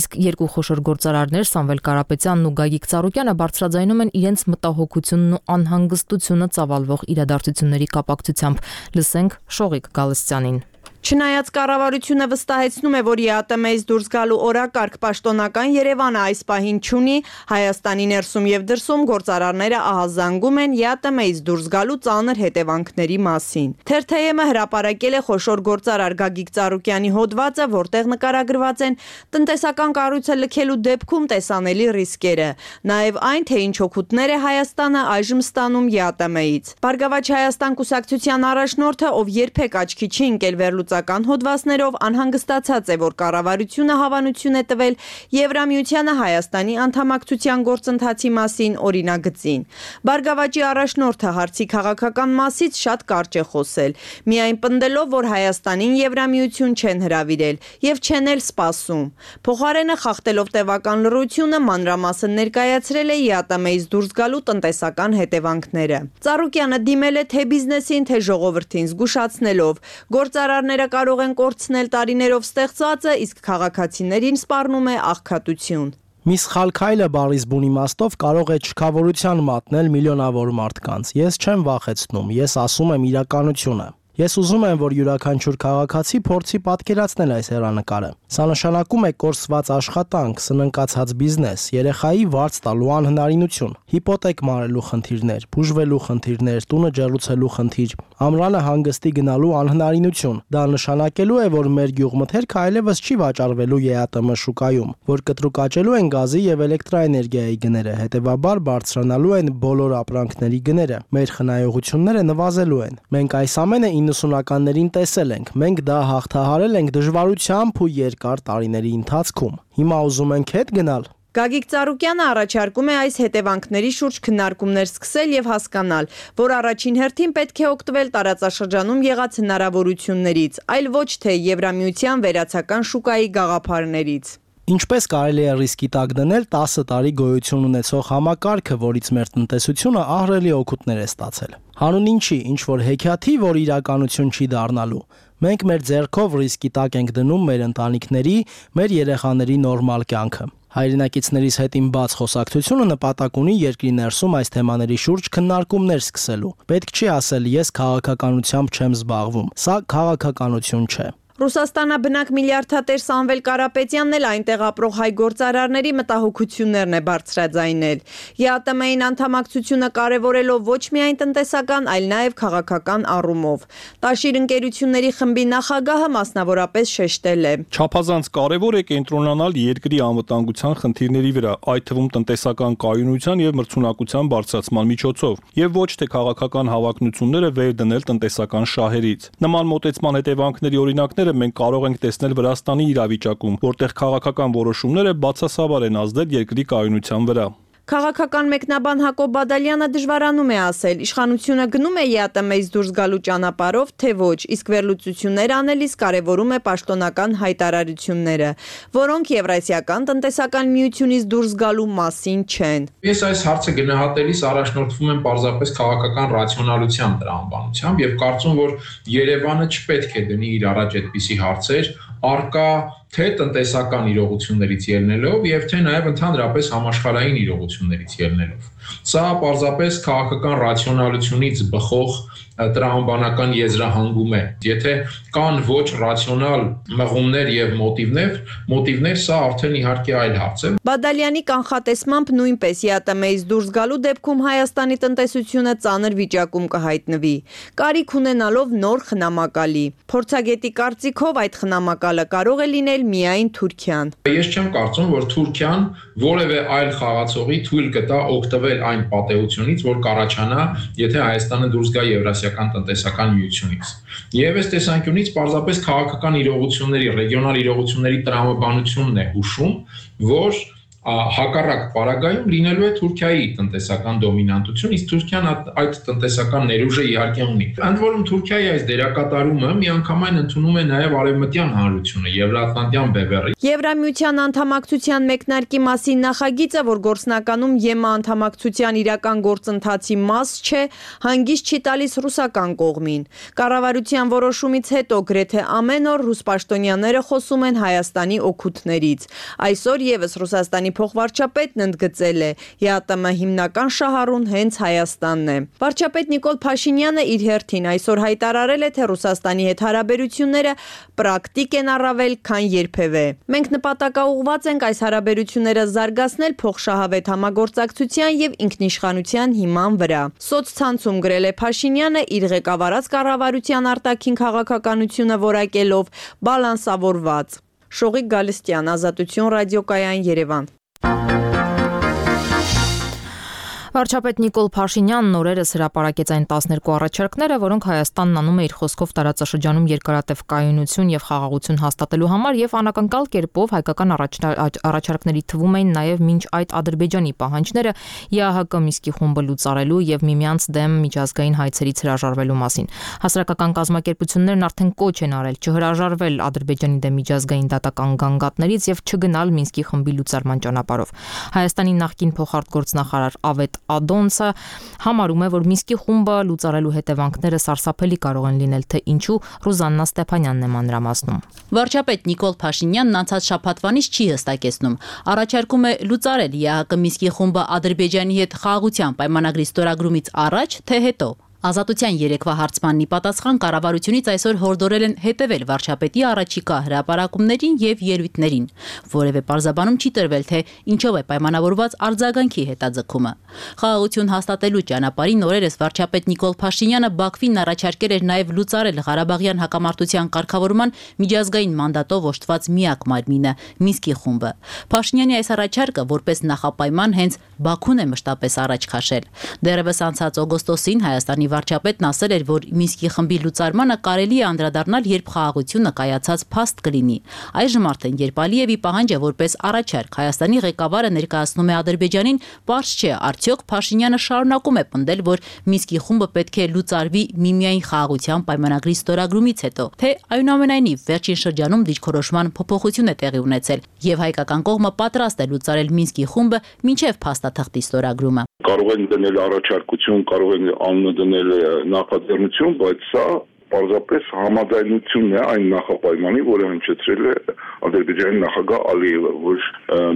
A: Իսկ երկու խոշոր գործարարներ Սամվել Կարապետյանն ու Գագիկ Ծառուկյանը բարձրաձայնում են իրենց մտահոգությունն ու անհանգստությունը ծավալվող իրադարձությունների կապակցությամբ։ Լսենք Շողիկ Գալստյանին։
J: Չնայած կառավարությունը վստահեցնում է, որ ԵԱՏՄ-ից դուրս գալու օրակարգ պաշտոնական Երևանը այս պահին չունի, Հայաստանի ներսում եւ դրսում գործարարները ահազանգում են ԵԱՏՄ-ից դուրս գալու ծանր հետևանքների մասին։ Թերթեյ-ը հրապարակել է խոշոր գործարար Գագիկ Ծառուկյանի հոդվածը, որտեղ նկարագրված են տնտեսական կառույցը լքելու դեպքում տեսանելի ռիսկերը, նաեւ այն, թե ինչ օգուտներ է Հայաստանը այժմ ստանում ԵԱՏՄ-ից։ Բարգավաճ Հայաստան կուսակցության առաջնորդը, ով երբեք աչքի չի ընկել վերլուծական հոդվածներով, անհանգստացած է, որ կառավարությունը հավանություն է տվել Եվրամիությանը Հայաստանի անդամակցության գործընթացի մասին օրինագծին։ Բարգավաճի առաջնորդը հարցի քաղաքական մասից շատ կարճ է խոսել, միայն պնդելով, որ Հայաստանին Եվրամիություն չեն հրավիրել եւ չեն էլ սպասում։ Փոխարենը խախտելով տևական լռությունը մանրամասն ներկայացրել է ԵԱՏՄ-ից դուրս գալու տնտեսական հետևանքները։ Ծառուկյանը դիմել է թե բիզնեսին, թե ժողովրդին զգուշացնելով, գործարարները կարող են կորցնել տարիներով ստեղծվածը, իսկ քաղաքացիներին սպառնում է աղքատություն։
D: Մի սխալ քայլը բառից բուն իմաստով կարող է չքավորության մատնել միլիոնավոր մարդկանց։ Ես չեմ վախեցնում, ես ասում եմ իրականությունը։ Ես ուզում եմ, որ յուրաքանչյուր քաղաքացի փորձի պատկերացնել այս հեռանկարը։ Սա նշանակում է կորսված աշխատանք, սննկացած բիզնես, երեխայի վարձ տալու անհնարինություն, հիպոթեկ մարելու խնդիրներ, բուժվելու խնդիրներ, տունը ջեռուցելու խնդիր, ամռանը հանգստի գնալու անհնարինություն։ Դա նշանակելու է, որ մեր գյուղմթերքը այլևս չի վաճառվելու ԵԱՏՄ շուկայում, որ կտրուկաճելու են գազի եւ էլեկտրաէներգիայի գները, հետեւաբար բարձրանալու են բոլոր ապրանքների գները։ Մեր խնայողությունները նվազելու են։ Մենք այս ամենը իննսունականներին տեսել ենք, մենք դա հաղթահարել ենք դժվարությամբ ու երկար տարիների ընթացքում։ Հիմա ուզում ենք հետ գնալ։
J: Գագիկ Ծառուկյանը առաջարկում է այս հետևանքների շուրջ քննարկումներ սկսել եւ հասկանալ, որ առաջին հերթին պետք է օգտվել տարածաշրջանում եղած հնարավորություններից, այլ ոչ թե Եվրամիության վերացական շուկայի գաղափարներից։
D: Ինչպես կարելի է ռիսկի տակ դնել տասը տարի գոյություն ունեցող համակարգը, որից մեր տնտեսությունը ահռելի օգուտներ է ստացել։ Հանուն ինչի, ինչ որ հեքիաթի, որ իրականություն չի դառնալու։ Մենք մեր ձեռքով ռիսկի տակ ենք դնում մեր ընտանիքների, մեր երեխաների նորմալ կյանքը։ Հայրենակիցներիս հետ իմ բաց խոսակցությունը նպատակ ունի երկրի ներսում այս թեմաների շուրջ քննարկումներ սկսելու։ Պետք չի ասել ես քաղաքականությամբ չեմ զբաղվում։ Սա քաղաքականություն չէ։
J: Ռուսաստանաբնակ միլիարդատեր Սամվել Կարապետյանն էլ այնտեղ ապրող հայ գործարարների մտահոգություններն է բարձրաձայնել։ ԵԱՏՄ-ին անդամակցությունը կարևորելով ոչ միայն տնտեսական, այլ նաև քաղաքական առումով։ Տաշիր ընկերությունների խմբի նախագահը մասնավորապես շեշտել է.
E: Չափազանց կարևոր է կենտրոնանալ երկրի անվտանգության խնդիրների վրա, այդ թվում տնտեսական կայունության եւ մրցունակության բարձրացման միջոցով, եւ ոչ թե քաղաքական հավակնությունները վեր դնել տնտեսական շահերից։ Նման մոտեցման հետևանքների օրինակներ մենք կարող ենք տեսնել Վրաստանի իրավիճակում, որտեղ քաղաքական որոշումները բացասաբար են ազդել երկրի կայունության վրա։
J: Քաղաքական մեկնաբան Հակոբ Բադալյանը դժվարանում է ասել, իշխանությունը գնում է ԵԱՏՄ-ից դուրս գալու ճանապարհով, թե ոչ, իսկ վերլուծություններ անելիս կարևորում է պաշտոնական հայտարարությունները, որոնք Եվրասիական տնտեսական միությունից դուրս գալու մասին չեն։
K: Ես այս հարցը գնահատելիս առաջնորդվում եմ պարզապես քաղաքական ռացիոնալության տրամաբանությամբ եւ կարծում, որ Երևանը չպետք է դնի իր առաջ այդպիսի հարցեր, արկա թե տնտեսական իրողություններից ելնելով եւ թե նաեւ ընդհանրապես համաշխարհային իրողություններից ելնելով։ Սա պարզապես քաղաքական ռացիոնալությունից բխող տրամաբանական եզրահանգում է։ Եթե կան ոչ ռացիոնալ մղումներ եւ մոտիվներ, մոտիվներ սա արդեն իհարկե այլ հարց է։
J: Բադալյանի կանխատեսմամբ նույնպես ԵԱՏՄ-ից դուրս գալու դեպքում Հայաստանի տնտեսությունը ծանր վիճակում կհայտնվի, կարիք ունենալով նոր խնամակալի։ Փորձագետի կարծիքով այդ խնամակալը կարող է լինել միայն Թուրքիան։
K: Ես չեմ կարծում, որ Թուրքիան որևէ այլ խաղացողի թույլ կտա օգտվել այն պատեհությունից, որ կառաջանա, եթե Հայաստանը դուրս գա Եվրասիական տնտեսական միությունից։ Եվ այս տեսանկյունից պարզապես քաղաքական իրողությունների, ռեգիոնալ իրողությունների տրամաբանությունն է հուշում, որ հակառակ պարագայում լինելու է Թուրքիայի տնտեսական դոմինանտություն, իսկ Թուրքիան այդ տնտեսական ներուժը իհարկե ունի։ Ընդ որում Թուրքիայի այս դերակատարումը միանգամայն ընդունում է նաև արևմտյան հանրությունը, Եվրատլանտյան բևեռը։
J: Եվրամիության անդամակցության մեկնարկի մասին նախագիծը, որ գործնականում ԵՄ անդամակցության իրական գործընթացի մաս չէ, հանգիստ չի տալիս ռուսական կողմին։ Կառավարության որոշումից հետո գրեթե ամեն օր ռուս պաշտոնյաները խոսում են Հայաստանի օգուտներից։ Այսօր եւս Ռուսաստանի փոխվարչապետն ընդգծել է, ԵԱՏՄ հիմնական շահառուն հենց Հայաստանն է։ Վարչապետ Նիկոլ Փաշինյանը իր հերթին այսօր հայտարարել է, թե Ռուսաստանի հետ հարաբերությունները պրակտիկ են առավել, քան երբևէ։ Մենք նպատակաուղղված ենք այս հարաբերությունները զարգացնել փոխշահավետ համագործակցության եւ ինքնիշխանության հիման վրա։ Սոցցանցում գրել է Փաշինյանը իր ղեկավարած կառավարության արտաքին քաղաքականությունը որակելով բալանսավորված։ Շողիկ Գալստյան, Ազատություն ռադիոկայան, Երևան։
A: Վարչապետ Նիկոլ Փաշինյանն օրերս հրապարակեց այն տասներկու առաջարկները, որոնք Հայաստանն անում է իր խոսքով տարածաշրջանում երկարատև կայունություն եւ խաղաղություն հաստատելու համար եւ անակնկալ կերպով հայկական առաջարկների թվում էին նաեւ մինչ այդ Ադրբեջանի պահանջները ԵԱՀԿ Միսկի խումբը լուծարելու եւ միմյանց դեմ միջազգային հայցերից հրաժարվելու մասին։ Հասարակական կազմակերպություններն արդեն կոչ են արել չհրաժարվել Ադրբեջանի դեմ միջազգային դատական գանգատներից եւ չգնալ Մինսկի խմբի լուծարման ճանապարհով։ Հայաստանի նախկին փոխարտգործնախարար Ավետ Ադոնցը համարում է, որ Մինսկի խումբը լուծարելու հետևանքները սարսափելի կարող են լինել, թե ինչու Ռուզաննա Ստեփանյանն է մանրամասնում։
L: Վարչապետ Նիկոլ Փաշինյանն անցած շաբաթվանից չի հստակեցնում։ Առաջարկում է լուծարել ԵԱՀԿ Մինսկի խումբը Ադրբեջանի հետ խաղաղության պայմանագրի ստորագրումից առաջ, թե հետո։ Ազատության երեկվա հարցմանն ի պատասխան կառավարությունից այսօր հորդորել են հետևել վարչապետի առաջիկա հրապարակումներին եւ ելույթներին։ Որևէ պարզաբանում չի տրվել, թե ինչով է պայմանավորված արձագանքի հետաձգումը։ Խաղաղություն հաստատելու ճանապարհին օրերս վարչապետ Նիկոլ Փաշինյանը Բաքվին առաջարկել էր նաեւ լուծարել Ղարաբաղյան հակամարտության կարգավորման միջազգային մանդատով օժտված միակ մարմինը՝ Մինսկի խումբը։ Փաշինյանի այս առաջարկը որպես նախապայման հենց Բաքուն է մշտապես առաջ քաշել։ Դեռևս անցած օգոստոսին Հայաստանի վարչապետն ասել էր, որ Մինսկի խմբի լուծարմանը կարելի է անդրադառնալ, երբ խաղաղությունը կայացած փաստ կլինի։ Այժմ արդեն, երբ Ալիևի պահանջը որպես առաջարկ Հայաստանի ղեկավարը ներկայացնում է Ադրբեջանին, պարզ չէ, արդյոք Փաշինյանը շարունակում է պնդել, որ Մինսկի խումբը պետք է լուծարվի միմիայն խաղաղության պայմանագրի ստորագրումից հետո, թե այնուամենայնիվ վերջին շրջանում դիրքորոշման փոփոխություն է տեղի ունեցել, եւ հայկական կողմը պատրաստ է լուծարել Մինսկի խումբը մինչև փաստաթղթի ստորագրումը։
M: Կարող են դնել առաջարկություն, կարող են անունը դնել նախաձեռնություն, բայց սա պարզապես համաձայնությունն է այն նախապայմանի, որը հնչեցրել է Ադրբեջանի նախագահ Ալիևը, որ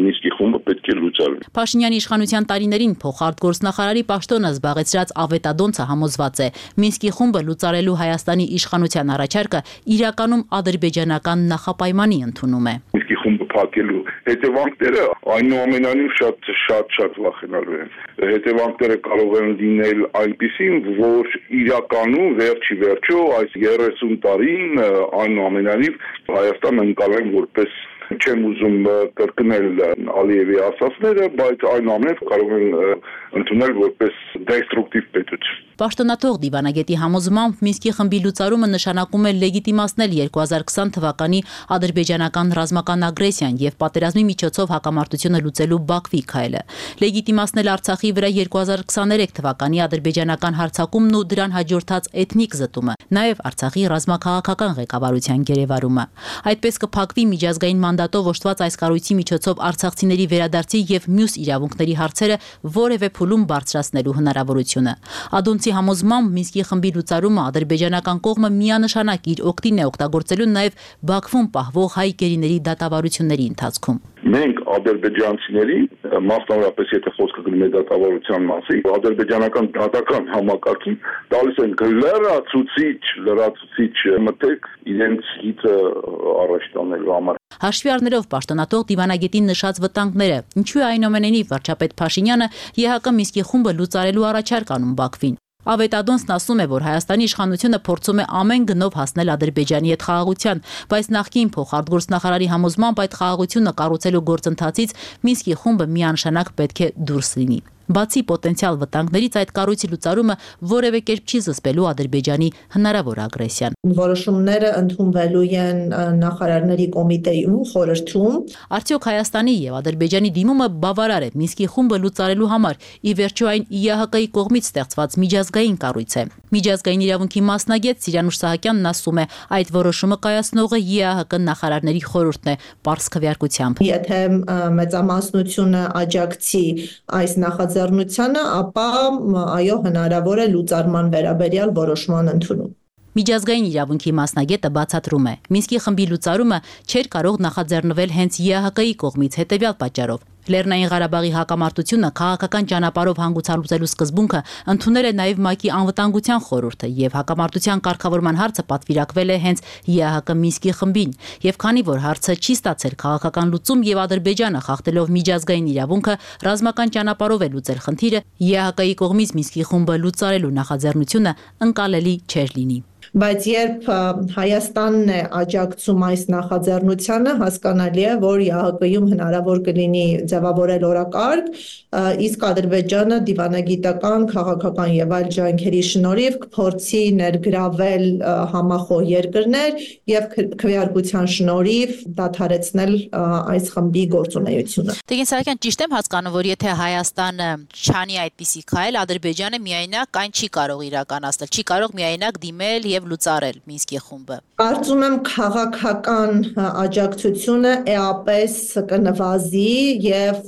M: Մինսկի խումբը պետք է լուծարվի։
L: Փաշինյանի իշխանության տարիներին փոխարտգործնախարարի պաշտոնը զբաղեցրած Ավետադոնցը համոզված է, Մինսկի խումբը լուծարելու Հայաստանի իշխանության առաջարկը իրականում ադրբեջանական նախապայմանի ընդունում է։
M: Մինսկի խումբը փակելու հետևանքները այնուամենայնիվ շատ շատ շատ վախենալու են։ Հետևանքները կարող են լինել այնպիսին, որ իրականում վերջի վերջո այս երեսուն տարին այնուամենայնիվ Հայաստանը ընկալեն որպես չեմ ուզում կրկնել Ալիևի ասածները, բայց այնուամենայնիվ կարող են ընդունել որպես դեստրուկտիվ պետություն։
L: Պաշտոնաթող դիվանագետի համոզմամբ Մինսկի խմբի լուծարումը նշանակում է լեգիտիմացնել երկու հազար քսան թվականի ադրբեջանական ռազմական ագրեսիան եւ պատերազմի միջոցով հակամարտությունը լուծելու Բաքվի քայլը, լեգիտիմացնել Արցախի վրա երկու հազար քսաներեք թվականի ադրբեջանական հարձակումն ու դրան հաջորդած էթնիկ զտումը, նաեւ Արցախի ռազմաքաղաքական ղեկավարության գերեվարումը։ Այդպես կփակվի միջազգային մանդատով օժտված այս կառույցի միջոցով արցախցիների վերադարձի եւ մյուս իրավունքների հարցերը որևէ փուլում բարձրացնելու հնարավորությունը։ Ադոնցի համոզմամբ Մինսկի խմբի լուծարումը ադրբեջանական կողմը միանշանակ իր օգտին է օգտագործելու նաև Բաքվում պահվող հայ գերիների դատավարությունների ընթացքում։
M: Մենք ադրբեջանցիների, մասնավորապես եթե խոսքը գնում է դատավարության մասին, ադրբեջանական դատական համակարգին տալիս են լրացուցիչ, լրացուցիչ մտեք իրենց հիթը առաջ տանելու համար։
L: Հաշվի առնելով պաշտոնաթող դիվանագետին նշած վտանգները, ինչու է այնուամենայնիվ վարչապետ Փաշինյանը ԵՀԿ Մինսկի խումբը լուծարելու առաջարկ անում Բաքվին։ Ավետադոնցն ասում է, որ Հայաստանի իշխանությունը փորձում է ամեն գնով հասնել Ադրբեջանի հետ խաղաղության, բայց նախկին փոխարտգործնախարարի համոզմամբ այդ խաղաղությունը կառուցելու գործընթացից Մինսկի խումբը միանշանակ պետք է դուրս լինի։ Բացի պոտենցիալ վտանգներից այդ կառույցի լուծարումը որևէ կերպ չի զսպելու Ադրբեջանի հնարավոր ագրեսիան։
N: Որոշումները ընդունվելու են նախարարների կոմիտեում, խորհրդում։
L: Արդյոք Հայաստանի եւ Ադրբեջանի դիմումը բավարար է Մինսկի խումբը լուծարելու համար, ի վերջո այն ԵՀԿ-ի կողմից ստեղծված միջազգային կառույց է։ Միջազգային իրավունքի մասնագետ Սիրանուշ Սահակյանն ասում է, այդ որոշումը կայացնողը ԵՀԿ նախարարների խորհուրդն է, պարզ քվեարկությամբ։
N: Եթե մեծամասնությունը աջակցի այս նախաձեռնությանը, ապա այո, հնարավոր է լուծարման վերաբերյալ որոշման ընդունում։
L: Միջազգային իրավունքի մասնագետը բացատրում է, Մինսկի խմբի լուծարումը չէր կարող նախաձեռնվել հենց ԵՀԿ-ի կողմից հետևյալ պատճառով։ Լեռնային Ղարաբաղի հակամարտությունը քաղաքական ճանապարհով հանգուցալուծելու սկզբունքը ընդունել է նաև ՄԱԿ-ի անվտանգության խորհուրդը եւ հակամարտության կարգավորման հարցը պատվիրակվել է հենց ԵՀԿ Մինսկի խմբին, եւ քանի որ հարցը չի ստացել քաղաքական լուծում եւ Ադրբեջանը խախտելով միջազգային իրավունքը ռազմական ճանապարհով է լուծել խնդիրը, ԵՀԿ-ի կողմից Մինսկի խումբը լուծարելու նախաձեռնությունը ընկալելի չէր լինի։
N: Բայց երբ Հայաստանն է աջակցում այս նախաձեռնությանը, հասկանալի է, որ ԵՀԿ-ում հնարավոր կլինի ձևավորել օրակարգ, իսկ Ադրբեջանը դիվանագիտական, քաղաքական եւ այլ ջանքերի շնորհիվ կփորձի ներգրավել համախոհ երկրներ եւ քվեարկության շնորհիվ դադարեցնել այս խմբի գործունեությունը։
L: Տեգին Սահակյան, ճիշտ եմ հասկանում, որ եթե Հայաստանը չանի այդպիսի քայլ, Ադրբեջանը միայնակ այն չի կարող իրականացնել, չի կարող միայնակ դիմել եւ լուծարել Մինսկի խումբը։
N: Կարծում եմ քաղաքական աջակցությունը էապես կնվազի եւ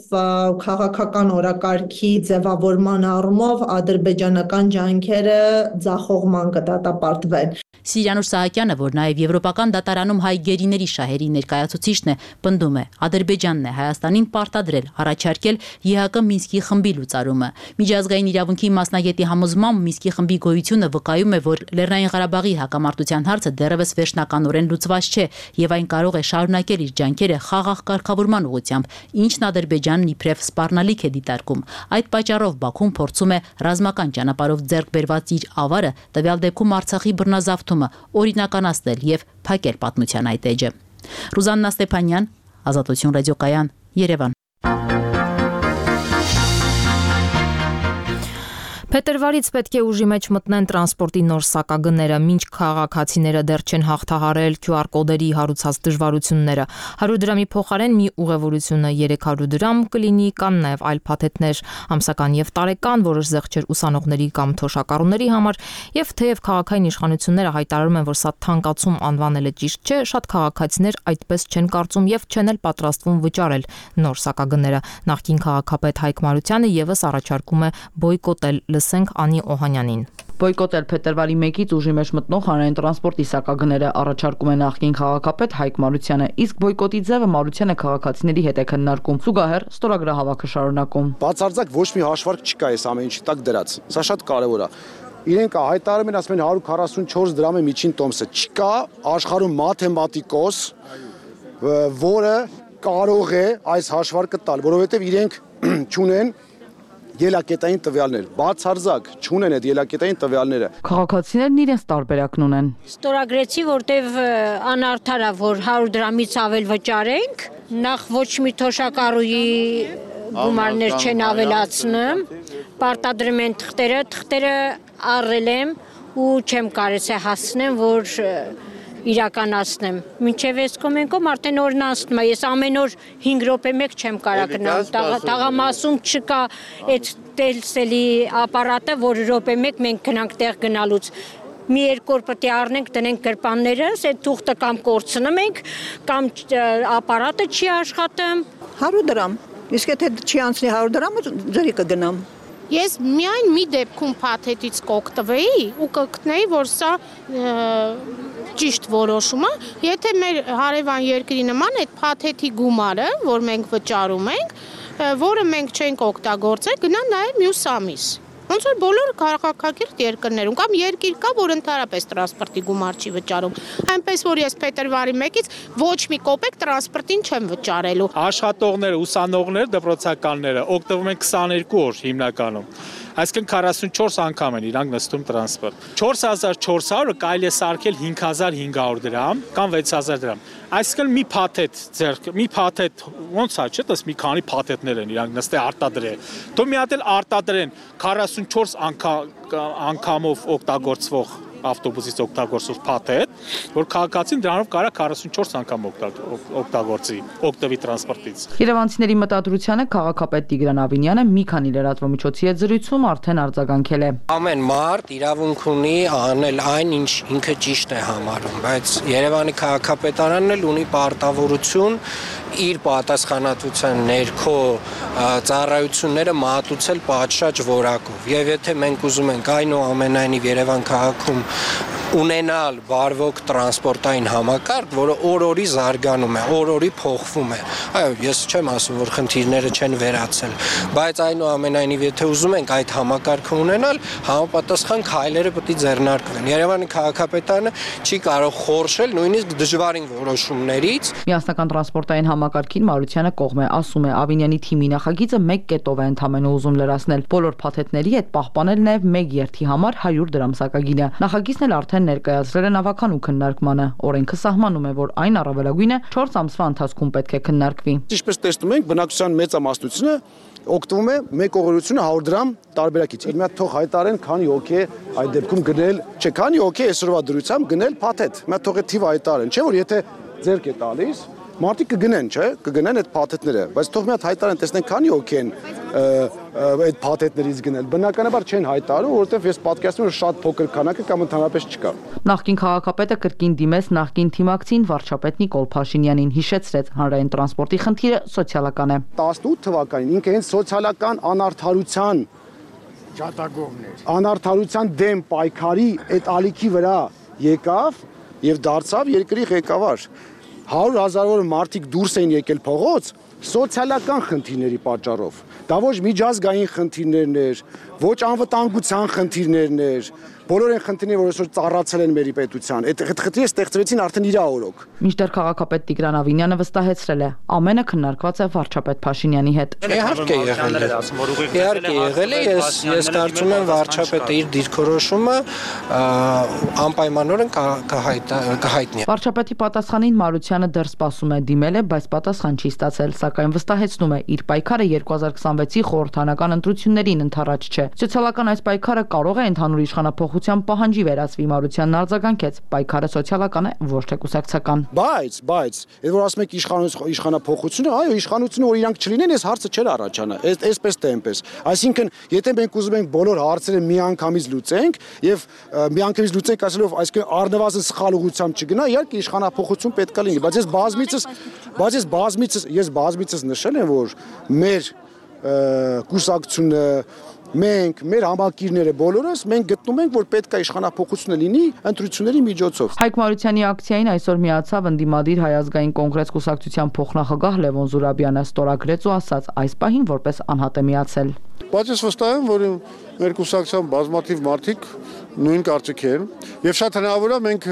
N: քաղաքական օրակարգի ձևավորման առումով ադրբեջանական ջանքերը ձախողման կդատապարտվեն։
L: Սիրանուշ Սահակյանը, որ նաև Եվրոպական դատարանում հայ գերիների շահերի ներկայացուցիչն է, պնդում է, Ադրբեջանն է Հայաստանին պարտադրել առաջարկել ԵՀԿ Մինսկի խմբի լուծարումը։ Միջազգային իրավունքի մասնագետի համոզմամբ Մինսկի խմբի գոյությունը վկայում է, որ Լեռնային Ղարաբաղի հակամարտության հարցը դեռևս վերջնականորեն լուծված չէ եւ այն կարող է շարունակել իր ջանքերը խաղաղ կարգավորման ուղղությամբ, ինչն Ադրբեջանն իբրև սպառնալիք է դիտարկում։ Այդ պատճառով Բաքուն փորձում է ռազմական ճանապարհով ձեռք բերված իր ավարը տվյալ դեպքում Արցախի բռնազավթումը օրինականացնել եւ փակել պատմության այդ էջը։ Ռուզաննա Ստեփանյան, Ազատություն ռադիոկայան, Երևան։
A: Փետրվարից պետք է ուժի մեջ մտնեն տրանսպորտի նոր սակագները, մինչ քաղաքացիները դեռ չեն հաղթահարել քյու ար կոդերի հարուցած դժվարությունները։ հարյուր դրամի փոխարեն մի ուղևորությունը երեք հարյուր դրամ կլինի, կան նաև այլ փաթեթներ, ամսական եւ տարեկան, որոշ զեղչեր ուսանողների կամ թոշակառուների համար, եւ թեև քաղաքային իշխանությունները հայտարարում են, որ սա թանկացում անվանելը ճիշտ չէ, շատ քաղաքացիներ այդպես չեն կարծում եւ չեն էլ պատրաստվում վճարել նոր սակագները։ Նախկին քաղաքապետ Հայկ Մարությանը եւս առաջարկում է բոյկոտել, լսենք Անի Օհանյանին։
O: Բոյկոտել փետրվարի մեկից ուժի մեջ մտնող հանրային տրանսպորտի սակագները առաջարկում է նախկին քաղաքապետ Հայկ Մարությանը, իսկ բոյկոտի ձևը Մարությանը քաղաքացիների հետ է քննարկում։ Զուգահեռ ստորագրահավաքը շարունակում։
P: Բացարձակ ոչ մի հաշվարկ չկա այս ամեն ինչի տակ դրած։ Սա շատ կարևոր է։ Իրենք հայտարարում են, ասում են հարյուր քառասունչորս դրամ է միջին տոմսը։ Չկա աշխարհում մաթեմատիկոս, որը կարող է այս հաշվարկը տալ, որովհետև իրենք չունեն ելակետային տվյալներ, բացարձակ չունեն այդ ելակետային տվյալները։
O: Քաղաքացիներն իրենց տարբերակն ունեն։
Q: Ստորագրեցի, որտեվ անարդար է, որ հարյուր դրամից ավել վճարենք, նախ ոչ մի թոշակառուի գումարներ չեն ավելացնում, պարտադրում են թղթերը, թղթերը առել եմ ու չեմ կարելի հասնեմ, որ իրականացնեմ։ Մինչև այս կոմենկոմ արդեն օրն անցնում է, ես ամեն օր հինգ րոպե մեկ չեմ կարող գնալ, տաղամասում չկա այդ տելսելի ապարատը, որ րոպե մեկ մենք գնանք տեղ գնալուց։ Մի երկու օր պետք է առնենք, դնենք գրպաններս, այդ թուղթը կամ կորցնում ենք, կամ ապարատը չի աշխատում։
R: հարյուր դրամ, իսկ եթե չի անցնի հարյուր դրամը, ձերի կգնամ։
S: Ես միայն մի դեպքում փաթեթից կօգտվեի ու կգտնեի, որ սա ճիշտ որոշում է, եթե մեր հարևան երկրի նման այդ փաթեթի գումարը, որ մենք վճարում ենք, որը մենք չենք օգտագործել, գնա նաև մյուս ամիս։ Ոնց որ բոլոր քաղաքակիրթ երկրներում կամ երկիր կա, որ ընդհանրապես տրանսպորտի գումար չի վճարում։ Այնպես որ ես փետրվարի մեկից ոչ մի կոպեկ տրանսպորտին չեմ վճարելու։
H: Աշխատողները, ուսանողները, դպրոցականները օգտվում են քսաներկու օր հիմնականում։ Այսինքն քառասունչորս անգամ են իրանք նստում տրանսպորտ։ չորս հազար չորս հարյուրը կարելի է սարքել հինգ հազար հինգ հարյուր դրամ կամ վեց հազար դրամ։ Այսինքն մի փաթեթ ձեռք, մի փաթեթ ոնց է, չէ՞, դες մի քանի փաթեթներ են իրանք նստե արտադրել։ Դու մի հատ էլ արտադրեն քառասունչորս անգամով օգտագործվող ավտոբուսից օգտագործող փաթեթ, որ քաղաքացին դրանով կարող քառասունչորս անգամ օգտագործի, օգտվի տրանսպորտից։
O: Երևանցիների մտադրությանը քաղաքապետ Տիգրան Ավինյանը մի քանի լրատվամիջոցի հետ զրույցում արդեն արձագանքել է։
I: Ամեն մարդ իրավունք ունի անել այն, ինչ ինքը ճիշտ է համարում, բայց Երևանի քաղաքապետարանն էլ ունի պարտավորություն իր պատասխանատվության ներքո ծառայությունները մատուցել պատշաճ որակով։ Եվ եթե մենք ուզում ենք այնուամենայնիվ Երևան քաղաքում ունենալ բարվոք տրանսպորտային համակարգ, որը օր-օրի զարգանում է, օր-օրի փոխվում է։ Այո, ես չեմ ասում, որ խնդիրները չեն վերացել, բայց այնուամենայնիվ եթե ուզում ենք այդ համակարգը ունենալ, համապատասխան քայլերը պետք է ձեռնարկվեն։ Երևանի քաղաքապետարանը չի կարող խորշել նույնիսկ դժվարին որոշումներից։
O: Միասնական տրանսպորտային համակարգին Մարությանը կողմ է, ասում է Ավինյանի թիմի նախագիծը մեկ կետով է ընդհանրապես ուզում լրացնել բոլոր փաթեթների հետ պահպանել նաև մեկ երթի համար հարյուր դրամ սակագինը։ Նախագիծն էլ արդեն ներկայացրել են ավականու քննարկմանը։ Օրենքը սահմանում է, որ այն առավելագույնը չորս ամսվա ընթացքում պետք է քննարկվի։
P: Ինչպես տեսնում ենք, բնակչության մեծամասնությունը օգտվում է մեկ օղորությունը հարյուր դրամ տարբերակից։ Իմ հատ թող հայտարեն քանի հոգի է այդ դեպքում գնել, չէ, քանի հոգի է այսօրվա դրությամբ գնել փաթեթ։ Իմ հատ թող է թիվը հայտարեն, չէ՞ որ եթե ձերք է տալիս մարդիկ կգնեն, չէ՞, կգնեն այդ փաթեթները, բայց թող մի հատ հայտարեն, տեսնենք քանի հոգի են այդ փաթեթներից գնել։ Բնականաբար չեն հայտարարում, որովհետև ես պատկերացնում եմ շատ փոքր քանակը կամ ընդհանրապես չկա։
O: Նախկին քաղաքապետը կրկին դիմեց նախկին թիմակցին վարչապետ Նիկոլ Փաշինյանին, հիշեցրեց հանրային տրանսպորտի խնդիրը սոցիալական է։
P: տասնութ թվականին ինքը հենց սոցիալական անարդարության
T: ջատագովն էր։
P: Անարդարության դեմ պայքարի այդ ալիքի վրա եկավ եւ դարձավ երկրի ղեկավար։ հարյուր հազարավոր մարդիկ դուրս էին եկել փողոց սոցիալական խնդիրների պատճառով։ Դա ոչ միջազգային խնդիրներն էր, ոչ անվտանգության խնդիրներն էր, բոլոր այն խնդիրները, որ այսօր ծառացել են մերի պետության, այդ խնդիրները ստեղծվեցին արդեն իր օրոք։
O: Մինչդեռ քաղաքապետ Տիգրան Ավինյանը վստահեցրել է, ամենը քննարկված է վարչապետ Փաշինյանի հետ։
U: Իհարկե եղել է։ Իհարկե եղել է, ես ես կարծում եմ վարչապետը իր դիրքորոշումը անպայմանորեն կհայտնի։
O: Վարչապետի պատասխանին Մարությանը դեռ սպասում է, դիմել է, բայց պատասխան չի ստացել, սակայն վստահեցնում է, իր պայքարը երկու հազար քսանվեցի խորհրդարանական ընտրություններին ընդառաջ չէ։ Սոցիալական այս պայքարը կարող է ընդհանուր իշխանափոխության պահանջի վերածվի, Մարությանն արձագանքեց, պայքարը սոցիալական է, ոչ թե կուսակցական։
P: Բայց, բայց, այդ որ ասում եք իշխանափոխությունը, այո, իշխանությունը որ իրանք չլինեն, այս հարցը չէր առաջանա, այսպես թե այնպես։ Այսինքն, եթե մենք ուզում ենք բոլոր հարցերը միանգամից լուծենք եւ միանգամից լուծենք ասելով, այսինքն առնվազն սխալ ուղղությամբ չգնա, իհարկե իշխանափոխություն պետք է լինի, բայց ես բազմիցս, բայց ես բազմիցս, ես բազմիցս նշել եմ, որ մեր կուսակցությունը մենք, մեր համակիրները բոլորս մենք գտնում ենք, որ պետք է իշխանափոխությունը լինի ընտրությունների միջոցով։
O: Հայկ Մարությանի ակցիային այսօր միացավ ընդդիմադիր Հայ ազգային կոնգրես կուսակցության փոխնախագահ Լևոն Զուրաբյանը, ստորագրեց ու ասաց, այս պահին որպես անհատ է միացել։
U: Բայց ես վստահ եմ, որ մեր կուսակցության բազմաթիվ մարդիկ նույն կարծիքի են, եւ շատ հնարավոր է մենք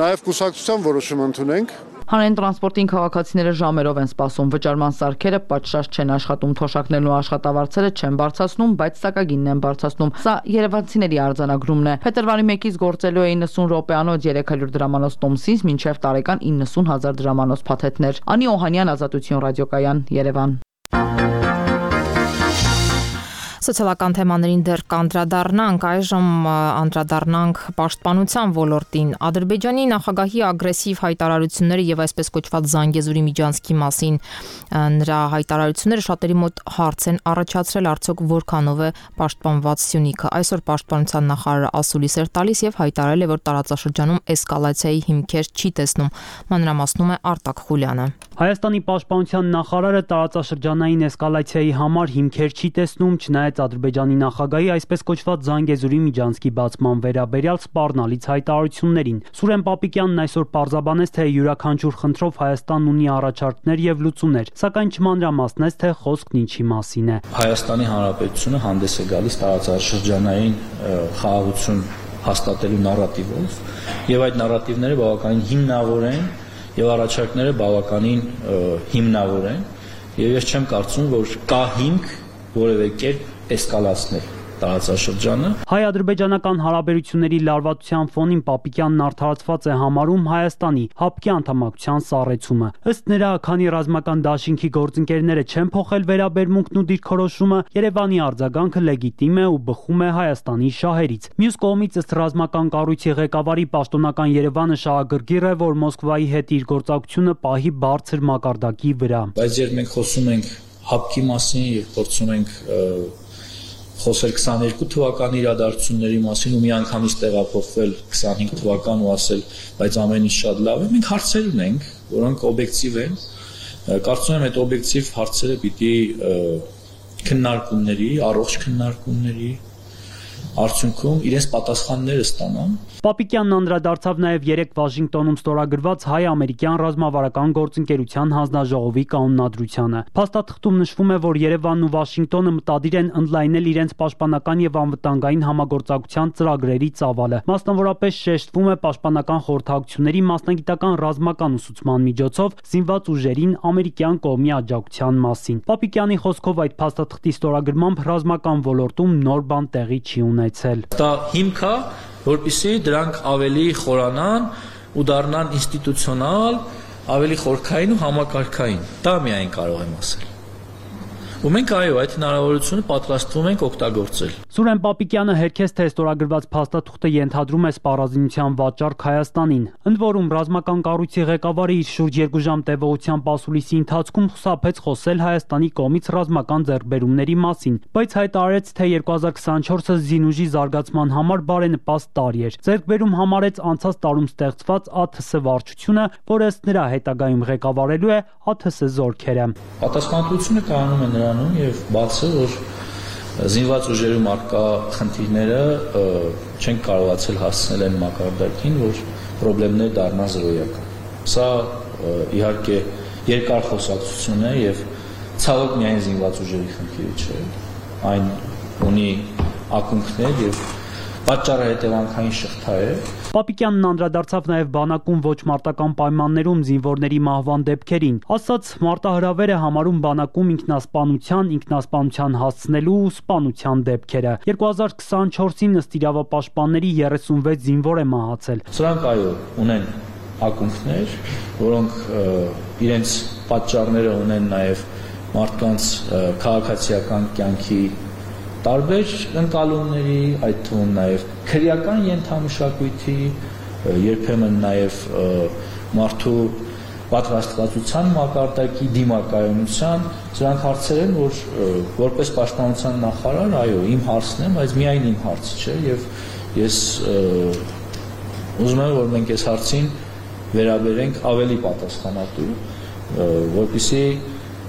U: նաեւ կուսակցության որոշում ընդունենք։
O: Հանրային տրանսպորտին քաղաքացիները ժամերով են սպասում, վճարման սարքերը պատշաճ չեն աշխատում, թոշակներն ու աշխատավարձերը չեն բարձրացնում, բայց սակագինն են բարձրացնում։ Սա երևանցիների արձանագրումն է։ Փետրվարի մեկից գործելու է իննսուն րոպեանոց երեք հարյուր դրամանոց տոմսից մինչև տարեկան իննսուն հազար դրամանոց փաթեթներ։ Անի Օհանյան, Ազատություն ռադիոկայան, Երևան։
A: Սոցիալական թեմաներին դեռ կանդրադառնանք, այժմ անդրադառնանք պաշտպանության ոլորտին։ Ադրբեջանի նախագահի ագրեսիվ հայտարարությունները եւ այսպես կոչված Զանգեզուրի միջանցքի մասին նրա հայտարարությունները շատերի մոտ հարց են առաջացրել, արդյոք որքանով է պաշտպանված Սյունիքը։ Այսօր պաշտպանության նախարարը ասուլիս էր տալիս եւ հայտարարել է, որ տարածաշրջանում էսկալացիայի հիմքեր չի տեսնում։ Մանրամասնում է Արտակ Խուլյանը։
V: Հայաստանի պաշտպանության նախարարը տարածաշրջանային էսկալացիայի համար հիմքեր չի տեսնում, չնայած Ադրբեջանի նախագահի այսպես կոչված Զանգեզուրի միջանցքի բացման վերաբերյալ սպառնալից հայտարարություններին։ Սուրեն Պապիկյանն այսօր պարզաբանեց, թե յուրաքանչյուր խնդրով Հայաստանն ունի առաջարկներ եւ լուծումներ, սակայն չմանրամասնեց, թե խոսքն ինչի մասին է։
W: Հայաստանի Հանրապետությունը հանդես է գալիս տարածաշրջանային խաղաղություն հաստատելու նարատիվով, եւ այդ նարատիվները բավականին հիմնավոր են եւ առաջարկները բավականին հիմնավոր են, եւ ես չեմ կարծում, որ կա հիմք որևէ կերպ էսկալացնել տարածաշրջանը։
V: Հայ-ադրբեջանական հարաբերությունների լարվածության ֆոնին Պապիկյանն արդարացված է համարում Հայաստանի հապկի անդամակցության սառեցումը։ Ըստ նրա, քանի ռազմական դաշինքի գործընկերները չեն փոխել վերաբերմունքն ու դիրքորոշումը, Երևանի արձագանքը լեգիտիմ է ու բխում է Հայաստանի շահերից։ Մյուս կողմից, ըստ ռազմական կառույցի ղեկավարի, պաշտոնական Երևանը շահագրգիռ է, որ Մոսկվայի հետ իր գործակցությունը պահի բարձր մակարդակի վրա։
W: Բայց երբ մենք խոսում ենք հապկի մասին եւ փորձում ենք խոսել քսաներկու թվականի իրադարձությունների մասին ու միանգամից տեղափոխվել քսանհինգ թվական ու ասել, բայց ամեն ինչ շատ լավ է, մենք հարցեր ունենք, որոնք օբյեկտիվ են։ Կարծում եմ այդ օբյեկտիվ հարցերը պիտի քննարկումների, առողջ քննարկումների արդյունքում իրենց պատասխանները ստանան։
V: Պապիկյանն անդրադարձավ նաև երեք Վաշինգտոնում ստորագրված հայ-ամերիկյան ռազմավարական գործընկերության հանձնաժողովի կանոնադրությանը։ Փաստաթղթում նշվում է, որ Երևանն ու Վաշինգտոնը մտադիր են ընդլայնել իրենց պաշտպանական եւ անվտանգային համագործակցության ծրագրերի ծավալը։ Մասնավորապես շեշտվում է պաշտպանական խորհրդակցությունների մասնագիտական ռազմական ուսուցման միջոցով զինված ուժերին ամերիկյան կողմի աջակցության մասին։ Պապիկյանի խոսքով այդ փաստաթղթի ստորագրմամբ ռազմական ոլորտում նոր բան տեղի չի ունեցել։
W: Դա հիմք է, որպեսզի դրանք ավելի խորանան ու դառնան ինստիտուցիոնալ, ավելի խորքային ու համակարգային։ Դա միայն կարող եմ ասել։ Ու մենք այո, այդ հնարավորությունը պատրաստվում ենք օգտագործել։
V: Սուրեն Պապիկյանը հերքեց, թե ստորագրված փաստաթուղթը ենթադրում է սպառազինության վաճառք Հայաստանին։ Ընդ որում, ռազմական կառույցի ղեկավարը իր շուրջ երկու ժամ տևողությամբ ասուլիսի ընթացքում խուսափեց խոսել Հայաստանի կողմից ռազմական ձեռքբերումների մասին, բայց հայտարարեց, թե երկու հազար քսանչորսը զինուժի զարգացման համար բարենպաստ տարի էր։ Ձեռքբերում համարեց անցած տարում ստեղծված ԱԹՍ վարչությունը, որը ըստ նրա հետագայում ղեկավարելու է ԱԹՍ զորքերը։
W: Պատասխանատվությունը կայանում է նրանում եւ բացը, որ զինված ուժերում արկա խնդիրները չեն կարողացել հասցնել այն մակարդակին, որ խնդիրները դառնան զրոյական։ Սա իհարկե երկար խոսակցություն է եւ ցավոք միայն զինված ուժերի խնդիրը չէ։ Այն ունի ակունքներ եւ պատճառը հետևանքային շղթա է։
V: Պապիկյանն անդրադարձավ նաև բանակում ոչ մարտական պայմաններում զինվորների մահվան դեպքերին։ Ասաց, մարտահրավերը համարում բանակում ինքնասպանության, ինքնասպանության հասցնելու ու սպանության դեպքերը։ երկու հազար քսանչորսին ըստ իրավապաշտպանների երեսունվեց զինվոր է մահացել։
W: Սրանք այո, ունեն ակունքներ, որոնք իրենց պատճառները ունեն նաև մարդկանց քաղաքացիական կյանքի տարբեր ընկալումների, այդ թվում նաև քրեական ենթամշակույթի, երբեմն նաև մարդու պատրաստվածության մակարդակի, դիմակայունության, սրանք հարցեր են, որ որպես պաշտպանության նախարար, այո, իմ հարցն է, բայց միայն իմ հարցը չէ, եւ ես ուզում եմ, որ մենք այս հարցին վերաբերենք ավելի պատասխանատու, որպեսզի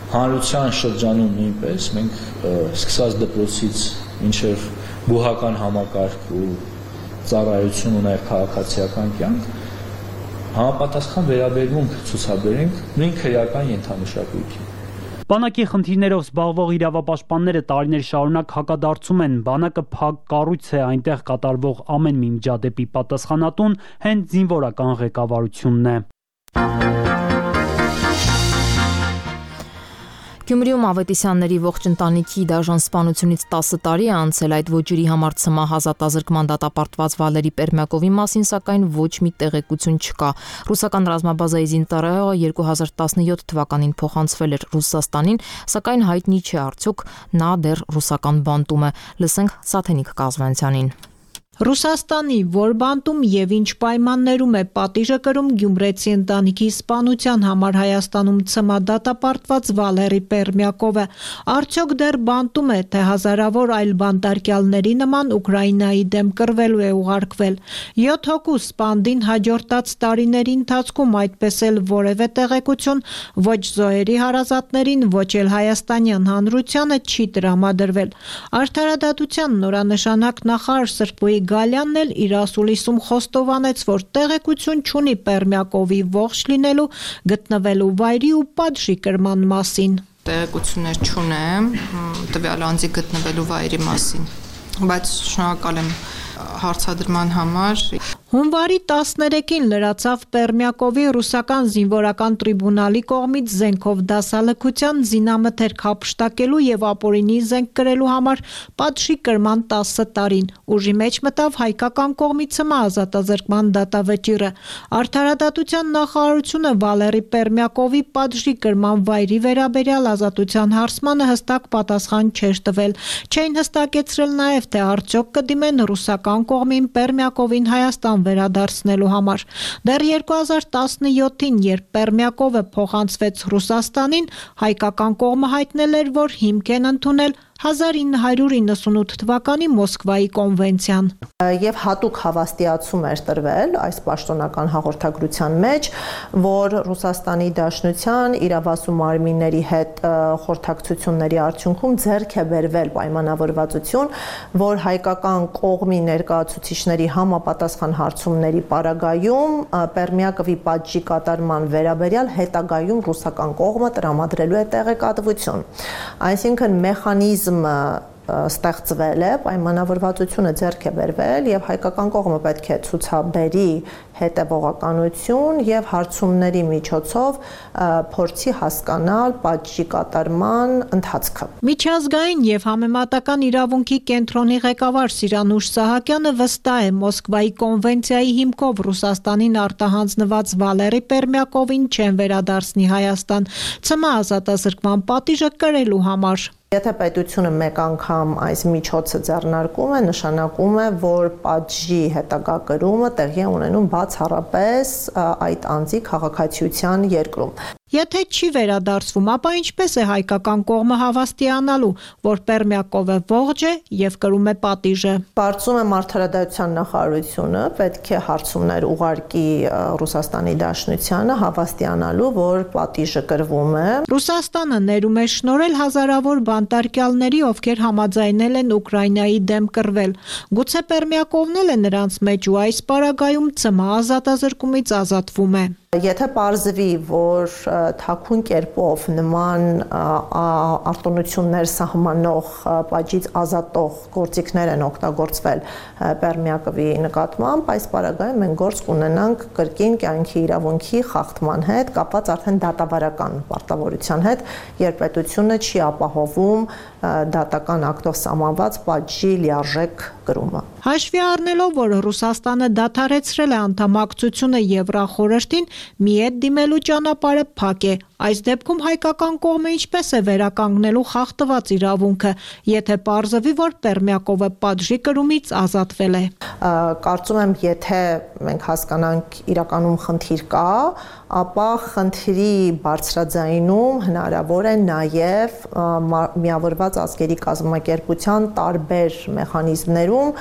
W: հանրության շրջանում նույնպես մենք սկսած դպրոցից մինչև բուհական համակարգ ու ծառայություն ու նաև քաղաքացիական կյանք համապատասխան վերաբերմունք ցուցաբերենք նույն քրեական ենթամշակույթին։
V: Բանակի խնդիրներով զբաղվող իրավապաշտպանները տարիներ շարունակ հակադարձում են, բանակը փակ կառույց է, այնտեղ կատարվող ամեն մի միջադեպի պատասխանատուն հենց զինվորական ղեկավարությունն է։
A: Գյումրիում Ավետիսյանների ողջ ընտանիքի դաժան սպանությունից տասը տարի է անցել, այդ ոճերի համար ցմահ ազատազրկման դատապարտված Վալերի Պերմյակովի մասին սակայն ոչ մի տեղեկություն չկա։ Ռուսական ռազմաբազայի զինծառայողը երկու հազար տասնյոթ թվականին փոխանցվել էր Ռուսաստանին, սակայն հայտնի չէ արդյոք նա դեռ ռուսական բանտում է։ Լսենք Սաթենիկ Կազվանցյանին։
B: Ռուսաստանի որ բանտում եւ ինչ պայմաններում է պատիժը կրում գյումրեցի ընտանիքի սպանության համար Հայաստանում ցմահ դատապարտված Վալերի Պերմյակովը, արդյոք դեռ բանտում է, թե հազարավոր այլ բանտարկյալների նման Ուկրաինայի դեմ կռվելու է ուղարկվել։ յոթ հոգու սպանդին հաջորդած տարիների ընթացքում այդպես էլ որևէ տեղեկություն ոչ զոհերի հարազատներին, ոչ էլ հայաստանյան հանրությանը չի տրամադրվել։ Արդարադատության նորանշանակ նախարար Սրբոյի Գալյանն էլ իր ասուլիսում խոստովանեց, որ տեղեկություն չունի Պերմյակովի ողջ լինելու, գտնվելու վայրի ու պատժի կրման մասին։
C: Տեղեկություններ չունեմ տվյալ անձի գտնվելու վայրի մասին, բայց շնորհակալ եմ հարցադրման համար։
B: Հունվարի տասներեքին լրացավ Պերմյակովի ռուսական զինվորական տրիբունալի կողմից զենքով դասալքության, զինամթերք հափշտակելու եւ ապօրինի զենք կրելու համար պատժի կրման տասը տարին։ Ուժի մեջ մտավ հայկական կողմից ցմահ ազատազրկման դատավճիռը։ Արդարադատության նախարարությունը Վալերի Պերմյակովի պատժի կրման վայրի վերաբերյալ ազատության հարցմանը հստակ պատասխան չէր տվել։ Չէին հստակեցրել նաեւ, թե արդյոք կդիմեն ռուսական կողմին Պերմյակովին Հայաստան վերադարձնելու համար։ Դեռ երկու հազար տասնյոթին, երբ Պերմյակովը փոխանցվեց Ռուսաստանին, հայկական կողմը հայտնել էր, որ հիմք են ընդունել հազար ինը հարյուր իննսունութ թվականի Մոսկվայի կոնվենցիան։
N: Եվ հատուկ հավաստիացում էր տրվել այս պաշտոնական հաղորդագրության մեջ, որ Ռուսաստանի Դաշնության իրավասու մարմինների հետ խորհրդակցությունների արդյունքում ձեռք է բերվել պայմանավորվածություն, որ հայկական կողմի ներկայացուցիչների համապատասխան հարցումների պարագայում Պերմյակովի պատժի կատարման վերաբերյալ հետագայում ռուսական կողմը տրամադրելու է տեղեկատվություն։ Այսինքն մեխանիզմ ստեղծվել է, պայմանավորվածությունը ձեռք է բերվել եւ հայկական կողմը պետք է ցուցաբերի հետևողականություն եւ հարցումների միջոցով փորձի հասկանալ պատժի կատարման ընթացքը։
B: Միջազգային եւ համեմատական իրավունքի կենտրոնի ղեկավար Սիրանուշ Սահակյանը վստահ է Մոսկվայի կոնվենցիայի հիմքով Ռուսաստանին արտահանձնված Վալերի Պերմյակովին չեն վերադարձնի Հայաստան ցմահ ազատազրկման պատիժը կրելու համար։
N: Եթե պետությունը մեկ անգամ այս միջոցը ձեռնարկում է, նշանակում է, որ պատժի հետագա կրումը տեղի է ունենում բացառապես այդ անձի քաղաքացիության երկրում։
B: Եթե չի վերադարձվում, ապա ինչպես է հայկական կողմը հավաստիանալու, որ Պերմյակովը ողջ է եւ կրում է պատիժը։
N: Կարծում եմ արդարադատության նախարարությունը պետք է հարցումներ ուղարկի Ռուսաստանի Դաշնությանը հավաստիանալու, որ պատիժը կրվում է։
B: Ռուսաստանը ներում է շնորհել հազարավոր բանտարկյալների, ովքեր համաձայնել են Ուկրաինայի դեմ կռվել։ Գուցե Պերմյակովն էլ է նրանց մեջ ու այս պարագայում ցմահ ազատազրկումից ազատվում է։
N: Եթե պարզվի, որ թաքուն կերպով նման արտոնություններ սահմանող պատժից ազատող գործիքներ են օգտագործվել Պերմիակովի նկատմամբ, այս պարագայում մենք գործ կունենանք կրկին կյանքի իրավունքի խախտման հետ, կապված արդեն դատավարական պարտավորության հետ, երբ պետությունը չի ապահովում դատական ակտով սահմանված պատժի լիարժեք կրումը։
B: Հաշվի առնելով, որ Ռուսաստանը դադարեցրել է անդամակցությունը Եվրախորհրդին, մի հետ դիմելու ճանապարհը փակ է։ Այս դեպքում հայկական կողմը ինչպես է վերականգնելու խախտված իրավունքը, եթե պարզվի, որ Պերմիակովը պատժի կրումից ազատվել է։
N: Կարծում եմ, եթե մենք հասկանանք իրականում խնդիր կա, ապա խնդրի բարձրաձայնում հնարավոր է նաև միավորված ազգերի կազմակերպության տարբեր մեխանիզմներում,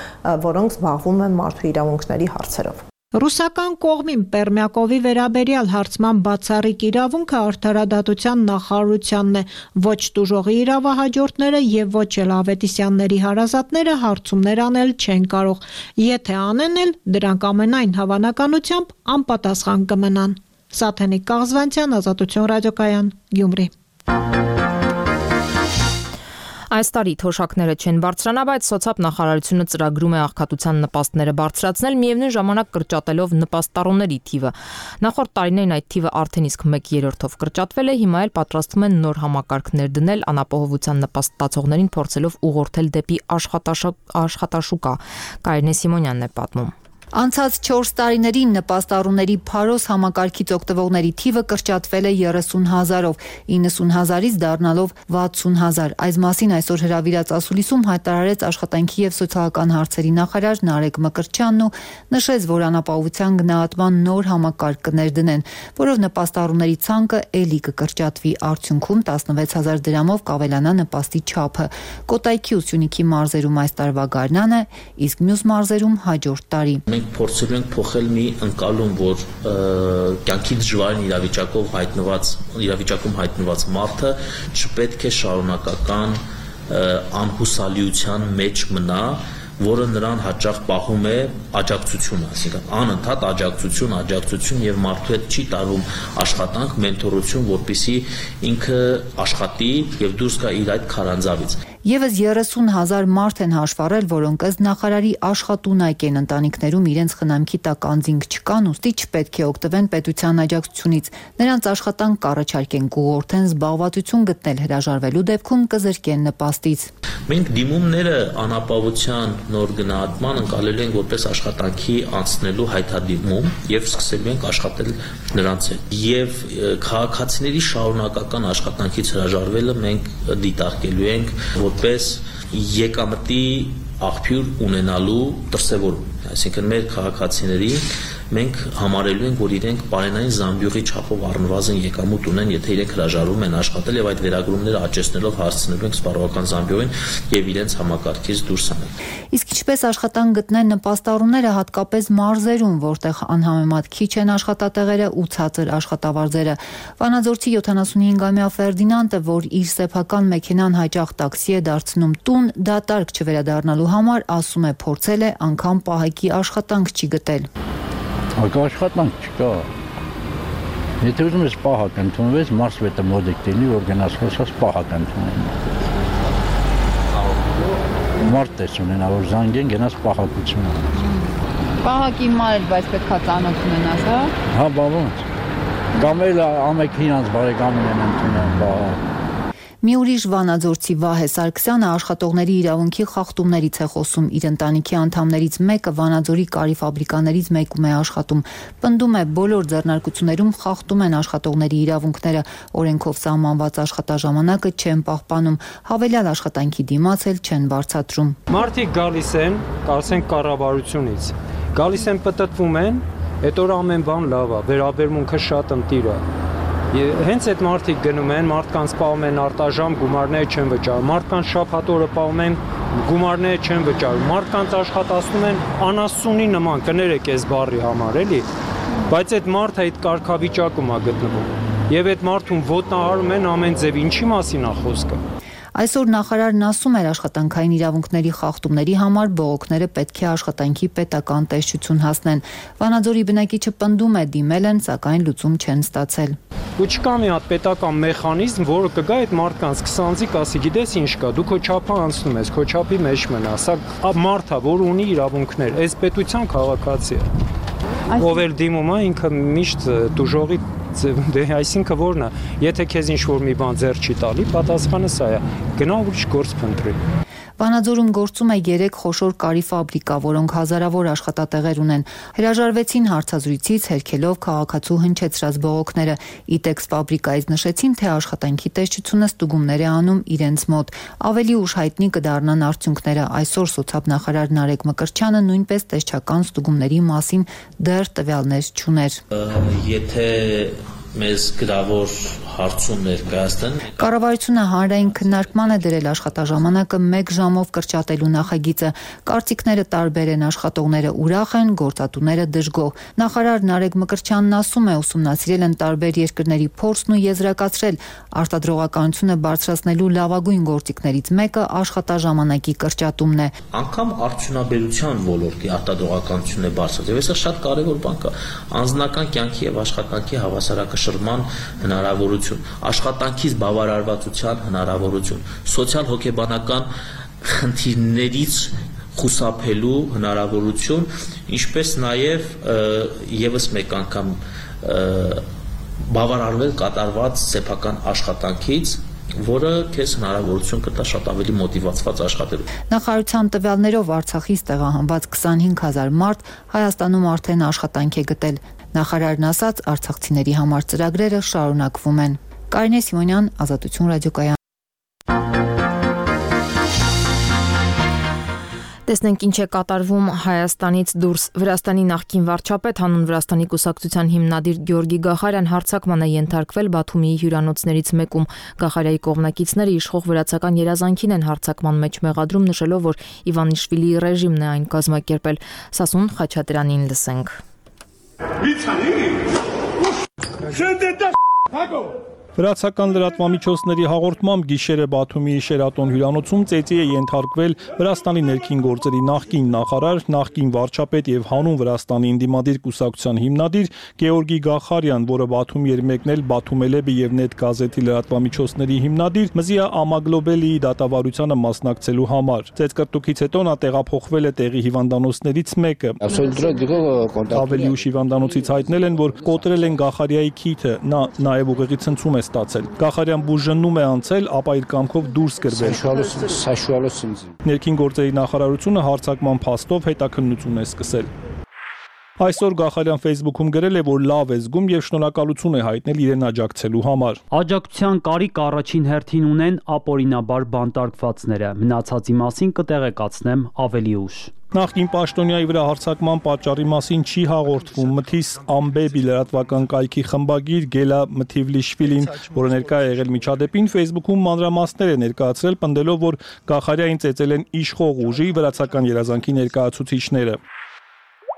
N: որոնք զբաղվում են մարդու իրավունքների հարցերով։
B: Ռուսական կողմին Պերմիակովի վերաբերյալ հարցման բացառիկ իրավունքը արդարադատության նախարարությանն է, ոչ տուժողի իրավահաջորդները եւ ոչ էլ Ավետիսյանների հարազատները հարցումներ անել չեն կարող։ Եթե անեն էլ, դրանք ամենայն հավանականությամբ անպատասխան կմնան։ Սաթենիկ Կաղզվանցյան, Ազատություն ռադիոկայան, Գյումրի։
A: Այս տարի թոշակները չեն բարձրանա, բայց սոցիալ նախարարությունը ծրագրում է աղքատության նպաստները բարձրացնել, միևնույն ժամանակ կրճատելով նպաստառուների թիվը։ Նախորդ տարիներին այդ թիվը արդեն իսկ մեկ երրորդով կրճատվել է, հիմա էլ պատրաստվում են նոր համակարգներ դնել անապահովության նպաստ ստացողներին փորձելով ուղղորդել դեպի աշխատաշուկա։ Կարինե Սիմոնյանն է պատմում։
D: Անցած չորս տարիներին նպաստառուների փարոս համակարգից օգտվողների թիվը կրճատվել է երեսուն հազարով, իննսուն հազարից դառնալով վաթսուն հազար։ Այս մասին այսօր հրավիրած ասուլիսում հայտարարեց աշխատանքի եւ սոցիալական հարցերի նախարար Նարեկ Մկրտչյանն ու նշեց, որ անապահովության գնահատման նոր համակարգ կներդնեն, որով նպաստառուների ցանկը էլի կկրճատվի, արդյունքում տասնվեց հազար դրամով կավելանա նպաստի չափը։ Կոտայքի ու Սյունիքի մարզերում այս տարվա գարնանը, իսկ մյուս մարզերում հաջորդ տարի։
W: Մենք փորձելու ենք փոխել մի ընկալում, որ կյանքի դժվարին իրավիճակով հայտնված իրավիճակում հայտնված մարդը չպետք է շարունակական անհուսալիության մեջ մնա, որը նրան հաճախ պահում է աջակցությունը, այսինքն անընդհատ աջակցություն, աջակցություն եւ մարդու հետ չի տարվում աշխատանք, մենթորություն, որպեսզի ինքը աշխատի եւ դուրս գա իր այդ քարանձավից։
D: Եվս երեսուն հազար մարդ են հաշվառել, որոնք ըստ նախարարի աշխատունակ են, ընտանիքներում իրենց խնամքի տակ անձինք չկան, ուստի չպետք է օգտվեն պետության աջակցությունից։ Նրանց աշխատանք կառաջարկեն, կուղղորդեն զբաղվածություն գտնել, հրաժարվելու դեպքում կզրկեն նպաստից։
W: Մենք դիմումները անապահովության նոր գնահատման ընկալելու ենք որպես աշխատանքի անցնելու հայտարարում եւ սկսելու ենք աշխատել նրանց հետ։ Եվ քաղաքացիների շարունակական աշխատանքից հրաժարվելը մենք դիտարկելու ենք որպես եկամտի աղբյուր ունենալու դրսևորում, այսինքն մեր քաղաքացիների մենք համարելու ենք, որ իրենք բարենային զամբյուղի չափով առնվազն եկամուտ ունեն, եթե իրենք հրաժարվում են աշխատել եւ այդ վերագրումները աճեցնելով հասցնելու ենք սպառողական զամբյուղին եւ իրենց համակարգից դուրս անել։
D: Իսկ ինչպես աշխատանք գտնեն նպաստառուները հատկապես մարզերում, որտեղ անհամեմատ քիչ են աշխատատեղերը ու ցածր աշխատավարձերը։ Վանաձորցի յոթանասունհինգամյա Ֆերդինանդը, որ իր սեփական մեքենան հաճախ տաքսի է դարձնում տուն, դատարկ չվերադառնալու համար, ասում է, փորձել է անգամ պահակի աշխատանք չի գտել։
F: Ակա աշխատանք չկա։ Եթե ուզում ես պահակ ընդունվես, մարսվետը մոդիկ դինի, որ գնաս խոսած պահակ ընդունեն։ Մարդ տես ունենա, որ զանգեն գնաս պահակություն։
D: Պահակի մարել, բայց պետք է ծանոթ ունենաս, հա։
F: Հա, բա ոնց։ Կամ էլ ամեկ հինանց բարեկամին են ընդունել պահակ։
D: Մի ուրիշ վանաձորցի Վահե Սարգսյանը աշխատողների իրավունքի խախտումներից է խոսում։ Իր ընտանիքի անդամներից մեկը Վանաձորի կարի ֆաբրիկաներից մեկում է աշխատում։ Պնդում է, բոլոր ձեռնարկություններում խախտում են աշխատողների իրավունքները, օրենքով սահմանված աշխատաժամանակը չեն պահպանում, հավելյալ աշխատանքի դիմաց էլ չեն բարձրացնում։
V: Մարդիկ գալիս են, ասենք կառավարությունից, գալիս են պտտվում են, այդ օր ամեն բան լավ է, վերաբերմունքը շատ ընտիր է։ Հենց այդ մարդիկ գնում են, մարդկանց պահում են արտաժամ, գումարները չեն վճարում, մարդկանց շաբաթ օրը պահում են, գումարները չեն վճարում, մարդկանց աշխատացնում են անասունի նման, կներեք այս բառի համար, էլի, բայց այդ մարդը այդ կարգավիճակում է գտնվում, եւ այդ մարդուն ոտնահարում են ամեն ձև, ինչի մասին է խոսքը։
D: Այսօր նախարարն ասում էր, աշխատանքային իրավունքների խախտումների համար բողոքները պետք է աշխատանքի պետական տեսչություն հասնեն։ Վանաձորի բնակիչը պնդում է, դիմել են, սակայն լուծում չեն ստացել։
E: Ու չկա մի հատ պետական մեխանիզմ, որը կգա այդ մարդկանց քսանձիկ ասի, գիտես ինչ կա, դու քո չափը անցնում ես, քո չափի մեջ մնա, սա մարդ է, որ ունի իրավունքներ, այս պետության քաղաքացի է։ Ով էլ դիմում է, ինքը միշտ դուժողի դե այսինքն որն է, եթե քեզ ինչ-որ մի բան ձեռ չի տալի, պատասխանը սա է, գնա ուրիշ գործ փնտրի։
D: Վանաձորում գործում է երեք խոշոր կարի ֆաբրիկա, որոնք հազարավոր աշխատատեղեր ունեն։ Հրաժարվեցին հարցազրույցից, հերքելով քաղաքացու հնչեցրած բողոքները։ Իտեքս ֆաբրիկայից նշեցին, թե աշխատանքի տեսչությունը ստուգումներ է անում իրենց մոտ։ Ավելի ուշ հայտնի կդառնան արդյունքները։ Այսօր սոցիալ-նախարար Նարեկ Մկրտչյանը նույնպես տեսչական ստուգումների մասին դեռ տվյալներ չուներ։
G: Եթե մեզ գրավոր հարցում ներկայացնեն։
D: Կառավարությունը հանրային քննարկման է դրել աշխատաժամանակը մեկ ժամով կրճատելու նախագիծը։ Կարծիքները տարբեր են, աշխատողները ուրախ են, գործատուները դժգոհ։ Նախարար Նարեկ Մկրտչյանն ասում է, ուսումնասիրել են տարբեր երկրների փորձն ու եզրակացրել, արտադրողականությունը բարձրացնելու լավագույն գործիքներից մեկը աշխատաժամանակի կրճատումն է։
G: Անկամ արդյունաբերության ոլորտի արտադրողականությունն է բարձրացել։ Այս շատ կարևոր բան է։ Անձնական կյանքի եւ աշխատանքի հավասարակշռման հնարավորություն, աշխատանքից բավարարվածության հնարավորություն, սոցիալ-հոգեբանական խնդիրներից խուսափելու հնարավորություն, ինչպես նաև եւս մեկ անգամ բավարարվել կատարված սեփական աշխատանքից, որը քեզ հնարավորություն կտա շատ ավելի մոտիվացված աշխատելու։
D: Նախարարության տվյալներով Արցախից տեղահանված քսանհինգ հազար մարդ Հայաստանում արդեն աշխատանք է գտել։ Նախարարն ասաց, արցախցիների համար ծրագրերը շարունակվում են։ Կարինե Սիմոնյան, Ազատություն ռադիոկայան։
A: Տեսնենք ինչ է կատարվում Հայաստանից դուրս։ Վրաստանի նախկին վարչապետ, հանուն Վրաստանի կուսակցության հիմնադիր Գեորգի Գախարյան հարձակման է ենթարկվել Բաթումիի հյուրանոցներից մեկում։ Գախարյայի կողմնակիցները իշխող վրացական երազանքին են հարձակման մեջ մեղադրում, նշելով, որ Իվանիշվիլիի ռեժիմն է այն կազմակերպել։ Սասուն Խաչատրյանին լսենք։
K: Վրացական լրատվամիջոցների հաղորդմամբ գիշերը Բաթումիի Շերատոն հյուրանոցում ծեծի է ենթարկվել Վրաստանի ներքին գործերի նախկին նախարար, նախկին վարչապետ եւ հանուն Վրաստանի ինդիմադիր կուսակցության հիմնադիր Գեորգի Գախարյան, որը Բաթումի էր մեկնել Բաթումելեբի եւ Net գազետի լրատվամիջոցների հիմնադիր Մզիա Ամագլոբելիի դատավարությանը մասնակցելու համար։ Ծեծկրտուքից հետո նա տեղափոխվել է տեղի հիվանդանոցներից մեկը։ Ավելի ուշ հիվանդանոցից հայտնել են, որ կոտրել են Գախարյայի քիթը, նա նաեւ ուղեղի ցնցում է ստացել։ Գախարյան բուժնում է անցել, ապա իր կամքով դուրս գրվել։ Ներքին գործերի նախարարությունը հարձակման փաստով հետաքննություն է սկսել։ Այսօր Գախարյան Facebook-ում գրել է, որ լավ է զգում եւ շնորհակալություն է հայտնել իրեն աջակցելու համար։
V: Աջակցության կարիք առաջին հերթին ունեն ապօրինաբար բանտարկվածները։ Մնացածի մասին կտեղեկացնեմ ավելի ուշ։
K: Նախկին պաշտոնյայի վրա հարձակման պատճառի մասին չի հաղորդվում։ Մթիս Ամբեբի լրատվական կայքի խմբագիր Գելա Մթիվլիշվիլին, որը ներկա է եղել միջադեպին, Facebook-ում մանրամասներ է ներկայացրել, պնդելով, որ Գախարյային ծեծել են իշխող ուժի վրացական երազանքի ներկայացուցիչները։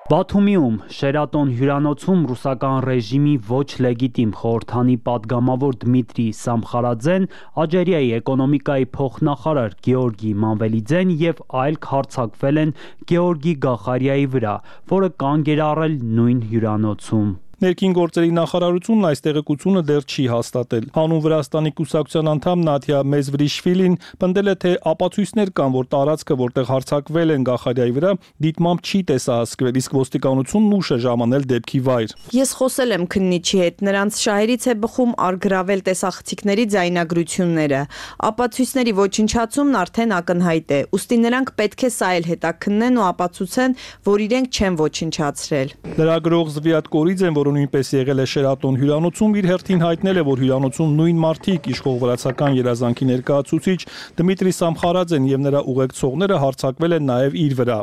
V: Բաթումիում Շերատոն հյուրանոցում ռուսական ռեժիմի ոչ լեգիտիմ խորհրդանի падգամավոր Դմիտրի Սամխարաձեն, Ալժիրիայի էկոնոմիկայի փոխնախարար Գեորգի Մանվելիձեն եւ այլք հարձակվել են Գեորգի Գախարյայի վրա, որը կանգ էր առել նույն հյուրանոցում։
K: Ներքին գործերի նախարարությունն այս տեղեկությունը դեռ չի հաստատել։ Հանուն Վրաստանի կուսակցության անդամ Նաթիա Մեզվրիշվիլին պնդել է, թե ապացույցներ կան, որ տարածքը, որտեղ հարձակվել են Գախարյայի վրա, դիտմամբ չի տեսահասկվել, իսկ ոստիկանությունն ուշ է ժամանել դեպքի վայր։
J: Ես խոսել եմ քննիչի հետ, նրանց շահերից է բխում արգրավել տեսախցիկների ձայնագրությունները։ Ապացույցների ոչնչացումն արդեն ակնհայտ է, ուստի նրանք պետք է սա էլ հետաքննեն ու ապացուցեն, որ իրենք չեն ոչնչացրել։
K: Լրագրող Զվիատ Կորիձեն, որ նույնպես եղել է Շերատոն հյուրանոցում, իր հերթին հայտնել է, որ հյուրանոցում նույն մարդիկ իշխող վրացական երազանքի ներկայացուցիչ Դմիտրի Սամխարաձեն եւ նրա ուղեկցողները հարձակվել են նաեւ իր վրա։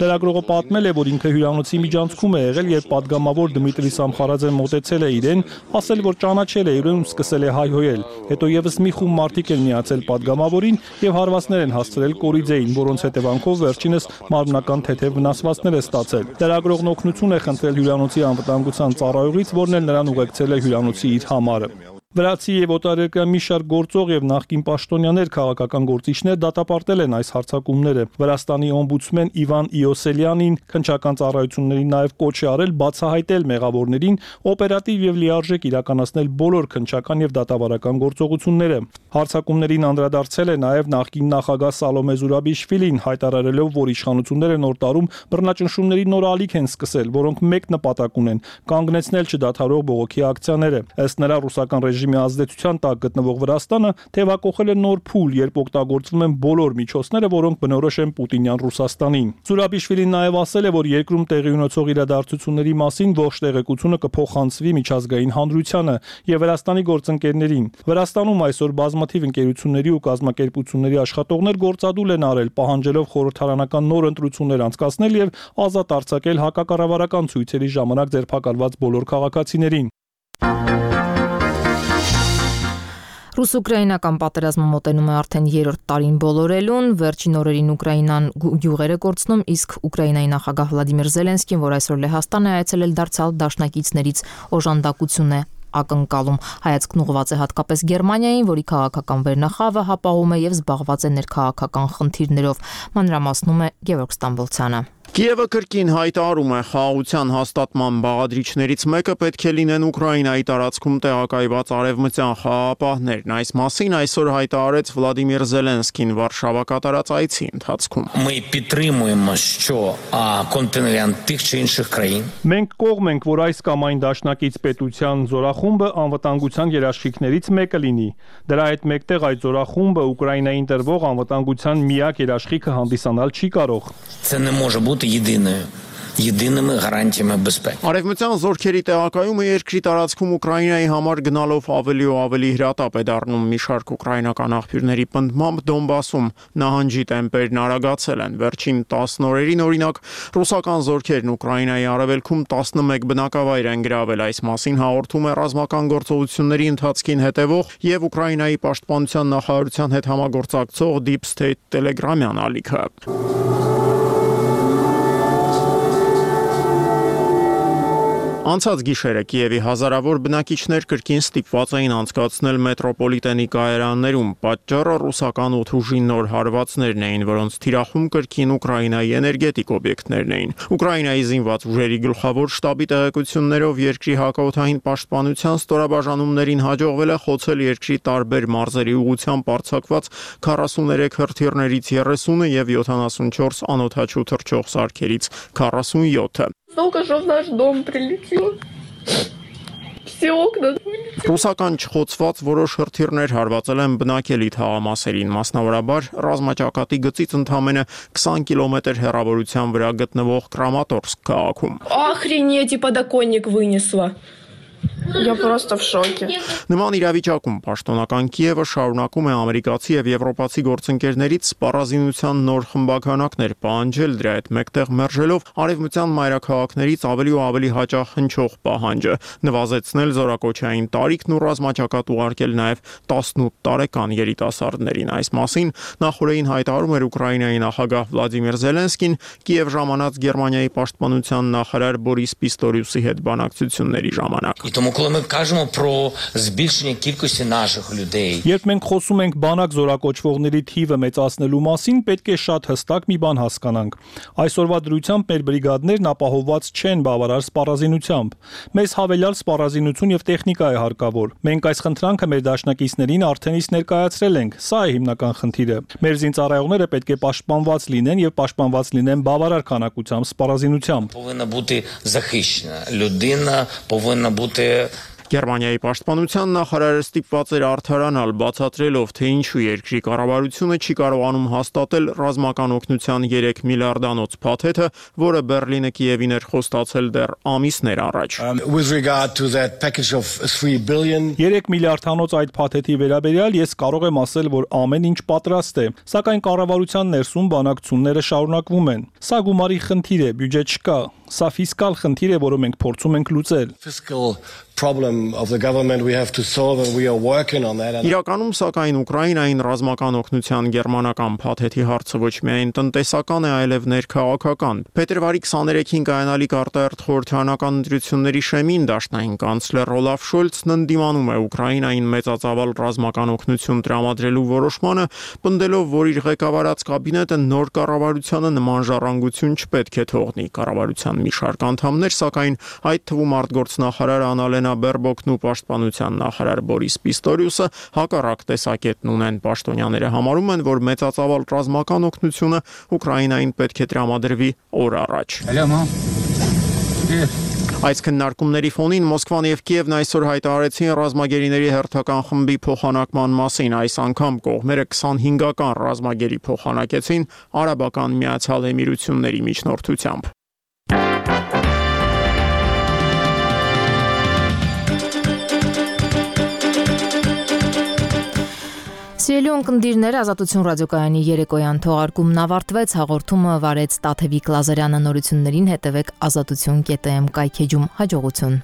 K: Լրագրողը պատմել է, որ ինքը հյուրանոցի միջանցքում է եղել, երբ падգամավոր Դմիտրի Սամխարաձեն մոտեցել է իրեն, ասել, որ ճանաչել է իրեն ու սկսել է հայհոյել։ Հետո եւս մի խումբ մարդիկ են միացել падգամավորին եւ հարվածներ են հասցրել Կորիձեին, որոնց հետևանքով վերջինս մարմնական թեթև վնասվածքներ է ստացել։ Լրագրողն օգնություն է խնդրել հյուրանոցի անվտանգության ծառայողից, որն էլ նրան ուղեկցել է հյուրանոցի իր համարը։ Վրացի եւ օտարերկրյա մի շարք գործող եւ նախկին պաշտոնյաներ քաղաքական գործիչներ դատապարտել են այս հարձակումները։ Վրաստանի օմբուդսմեն Իվան Իոսելյանին քննչական ծառայություններին նաեւ կոչ է արել բացահայտել մեղավորներին օպերատիվ եւ լիարժեք իրականացնել բոլոր քննչական եւ դատավարական գործողությունները։ Հարձակումներին անդրադարձել է նաեւ նախկին նախագահ Սալոմե Զուրաբիշվիլին, հայտարարելով, որ իշխանությունները նոր տարում բռնաճնշումների նոր ալիք են սկսել, որոնք մեկ նպատակ ունեն՝ կանգնեցնել չդադարող բողոքի ակցիաները։ Ըստ նրա ռուսական ռեժիմի ազդեցության տակ գտնվող Վրաստանը թևակողել է նոր փուլ, երբ օգտագործվում են բոլոր միջոցները, որոնք բնորոշ են Պուտինյան Ռուսաստանին։ Զուրաբիշվիլին նաեւ ասել է, որ երկրում տեղի ունեցող իրադարձությունների մասին ողջ տեղեկությունը կփոխանցվի միջազգային հանրությանը եւ Վրաստանի գործընկերներին։ Վրաստանում այսօր բազմաթիվ ընկերությունների ու կազմակերպությունների աշխատողներ գործադուլ են արել, պահանջելով խորհրդարանական նոր ընտրություններ անցկացնել եւ ազատ արձակել հակակառավարական ցույցերի ժամանակ ձերբակալված բոլոր քաղաքացիներին։
A: Ռուս-ուկրաինական պատերազմը մոտենում է արդեն երրորդ տարին բոլորելուն, վերջին օրերին Ուկրաինան գյուղեր է կորցնում, իսկ Ուկրաինայի նախագահ Վլադիմիր Զելենսկին, որ այսօր Լեհաստան է այցելել, դարձյալ դաշնակիցներից օժանդակություն է ակնկալում։ Հայացքն ուղղված է հատկապես Գերմանիային, որի քաղաքական վերնախավը հապաղում է եւ զբաղված է ներքաղաքական խնդիրներով։ Մանրամասնում է Գևորգ Ստամբոլցյանը։
L: Կիևը կրկին հայտարարում է խաղաղության հաստատման բաղադրիչներից մեկը պետք է լինեն Ուկրաինայի տարածքում տեղակայված արևմտյան խաղաղապահներն։ Այս մասին այսօր հայտարարեց Վլադիմիր Զելենսկին Վարշավա կատարած այցի ընթացքում։
K: Մենք կողմ ենք, որ այս կամ այն դաշնակից պետության զորախումբը անվտանգության երաշխիքներից մեկը լինի։ Դրա հետ մեկտեղ այդ զորախումբը Ուկրաինային տրվող անվտանգության միակ երաշխիքը հանդիսանալ չի կարող։
L: Єдиною єдиними гарантіями безпеки. Արևմտյան զորքերի տեղակայումը երկրի տարածքում Ուկրաինայի համար գնալով ավելի ու ավելի հրատապ է դառնում։ Մի շարք ուկրաինական աղբյուրների պնդմամբ Դոնբասում նահանջի տեմպերն արագացել են։ Վերջին տասն օրերին օրինակ ռուսական զորքերն Ուկրաինայի արևելքում տասնմեկ բնակավայր են գրավել։ Այս մասին հաղորդում է ռազմական գործողությունների ընթացքին հետևող եւ Ուկրաինայի պաշտպանության նախարարության հետ համագործակցող Deep State Telegram-յան ալիքը։ Անցած գիշերը Կիևի հազարավոր բնակիչներ կրկին ստիպված էին անցկացնել մետրոպոլիտենի կայարաններում։ Պատճառը ռուսական օդուժի նոր հարվածներն էին, որոնց թիրախում կրկին Ուկրաինայի էներգետիկ օբյեկտներն էին։ Ուկրաինայի զինված ուժերի գլխավոր շտաբի տեղեկություններով երկրի հակաօդային պաշտպանության ստորաբաժանումներին հաջողվել է խոցել երկրի տարբեր մարզերի ուղղությամբ արձակված քառասուներեք հրթիռներից երեսունը եւ յոթանասունչորս անօդաչու թռչող սարքերից քառասունյոթը։
M: Только что в наш дом прилетел. Все окна.
L: Ռուսական չխոցված որոշ հրթիռներ հարվածել են բնակելի թաղամասերին, մասնավորաբար ռազմաճակատի գծից ընդամենը քսան կիլոմետր հեռավորության վրա գտնվող Կրամատորսկ քաղաքում։
M: Охренеть, и подоконник вынесло. Я просто в шоке.
L: Նման իրավիճակում պաշտոնական Կիևը շարունակում է ամերիկացի եւ եվրոպացի գործընկերներից սպառազինության նոր խմբականակներ պահանջել, դրա հետ մեկտեղ մերժելով արևմտյան մայրաքաղաքներից ավելի ու ավելի հաճախ հնչող պահանջը նվազեցնել զորակոչային տարիքն ու ռազմաճակատ ուղարկել նաեւ տասնութ տարեկան երիտասարդներին։ Այս մասին նախորդին հայտարարում էր Ուկրաինայի նախագահ Վլադիմիր Զելենսկին Կիև ժամանած Գերմանիայի պաշտպանության նախարար Բորիս Պիստորիուսի հետ բանակցությունների ժամանակ։
Q: Тому, коли ми кажемо про збільшення кількості наших людей,
K: Երբ մենք խոսում ենք բանակ զորակոչվողների թիվը մեծացնելու մասին, պետք է շատ հստակ մի բան հասկանանք։ Այսօրվա դրությամբ մեր բրիգադներն ապահովված չեն բավարար սպառազինությամբ։ Մեզ հավելյալ սպառազինություն եւ տեխնիկա է հարկավոր։ Մենք այս խնդրանքը մեր դաշնակիցներին արդեն իսկ ներկայացրել ենք։ Սա է հիմնական խնդիրը։ Մեր զինծառայողները պետք է պաշտպանված լինեն եւ պաշտպանված լինեն բավարար քանակությամբ սպառազինությամբ։
Q: повинна бути захищена. Людина повинна бути
L: Գերմանիայի պաշտպանության նախարարը ստիպված էր արդարանալ, բացատրելով, թե ինչու երկրի կառավարությունը չի կարողանում հաստատել ռազմական օգնության երեք միլիարդանոց փաթեթը, որը Բերլինը Կիևին էր խոստացել դեռ ամիսներ առաջ։
K: երեք միլիարդանոց այդ փաթեթի վերաբերյալ ես կարող եմ ասել, որ ամեն ինչ պատրաստ է, սակայն կառավարության ներսում բանակցությունները շարունակվում են։ Սա գումարի խնդիր է, բյուջե չկա։ Սա ֆիսկալ խնդիր է, որը մենք փորձում ենք լուծել։
H: Fiscal problem of the government we have to solve and we are working on that.
L: Իրականում սակայն Ուկրաինային ռազմական օգնության գերմանական փաթեթի հարցը ոչ միայն տնտեսական է, այլև ներքաղաքական։ Փետրվարի քսաներեքին կայանալիք արտահերթ խորհրդարանական ընտրությունների շեմին դաշնային կանցլեր Օլաֆ Շոլցն ընդդիմանում է Ուկրաինային մեծածավալ ռազմական օգնություն տրամադրելու որոշմանը, պնդելով, որ իր ղեկավարած կաբինետը նոր կառավարությանը նման ժառանգություն չպետք է թողնի։ Կառավարության մի շարք անդամներ, սակայն այդ թվում արտգործնախարար Անալենա Բերբոկն ու պաշտպանության նախարար Բորիս Պիստորիուսը հակառակ տեսակետն ունեն։ Պաշտոնյաները համարում են, որ մեծածավալ ռազմական օգնությունը Ուկրաինային պետք է տրամադրվի օր առաջ։ Այս քննարկումների ֆոնին Մոսկվան եւ Կիևն այսօր հայտարարեցին ռազմագերիների հերթական խմբի փոխանակման մասին։ Այս անգամ կողմերը քսանհինգական ռազմագերի փոխանակեցին Արաբական Միացյալ Էմիրությունների միջնորդությամբ։
A: Սիրելի ունկնդիրներ, Ազատություն ռադիոկայանի երեկոյան թողարկումն ավարտվեց, հաղորդումը վարեց Տաթևիկ Լազարյանը, նորություններին հետևեք ազատություն կետ էմ կայքեջում, հաջողություն։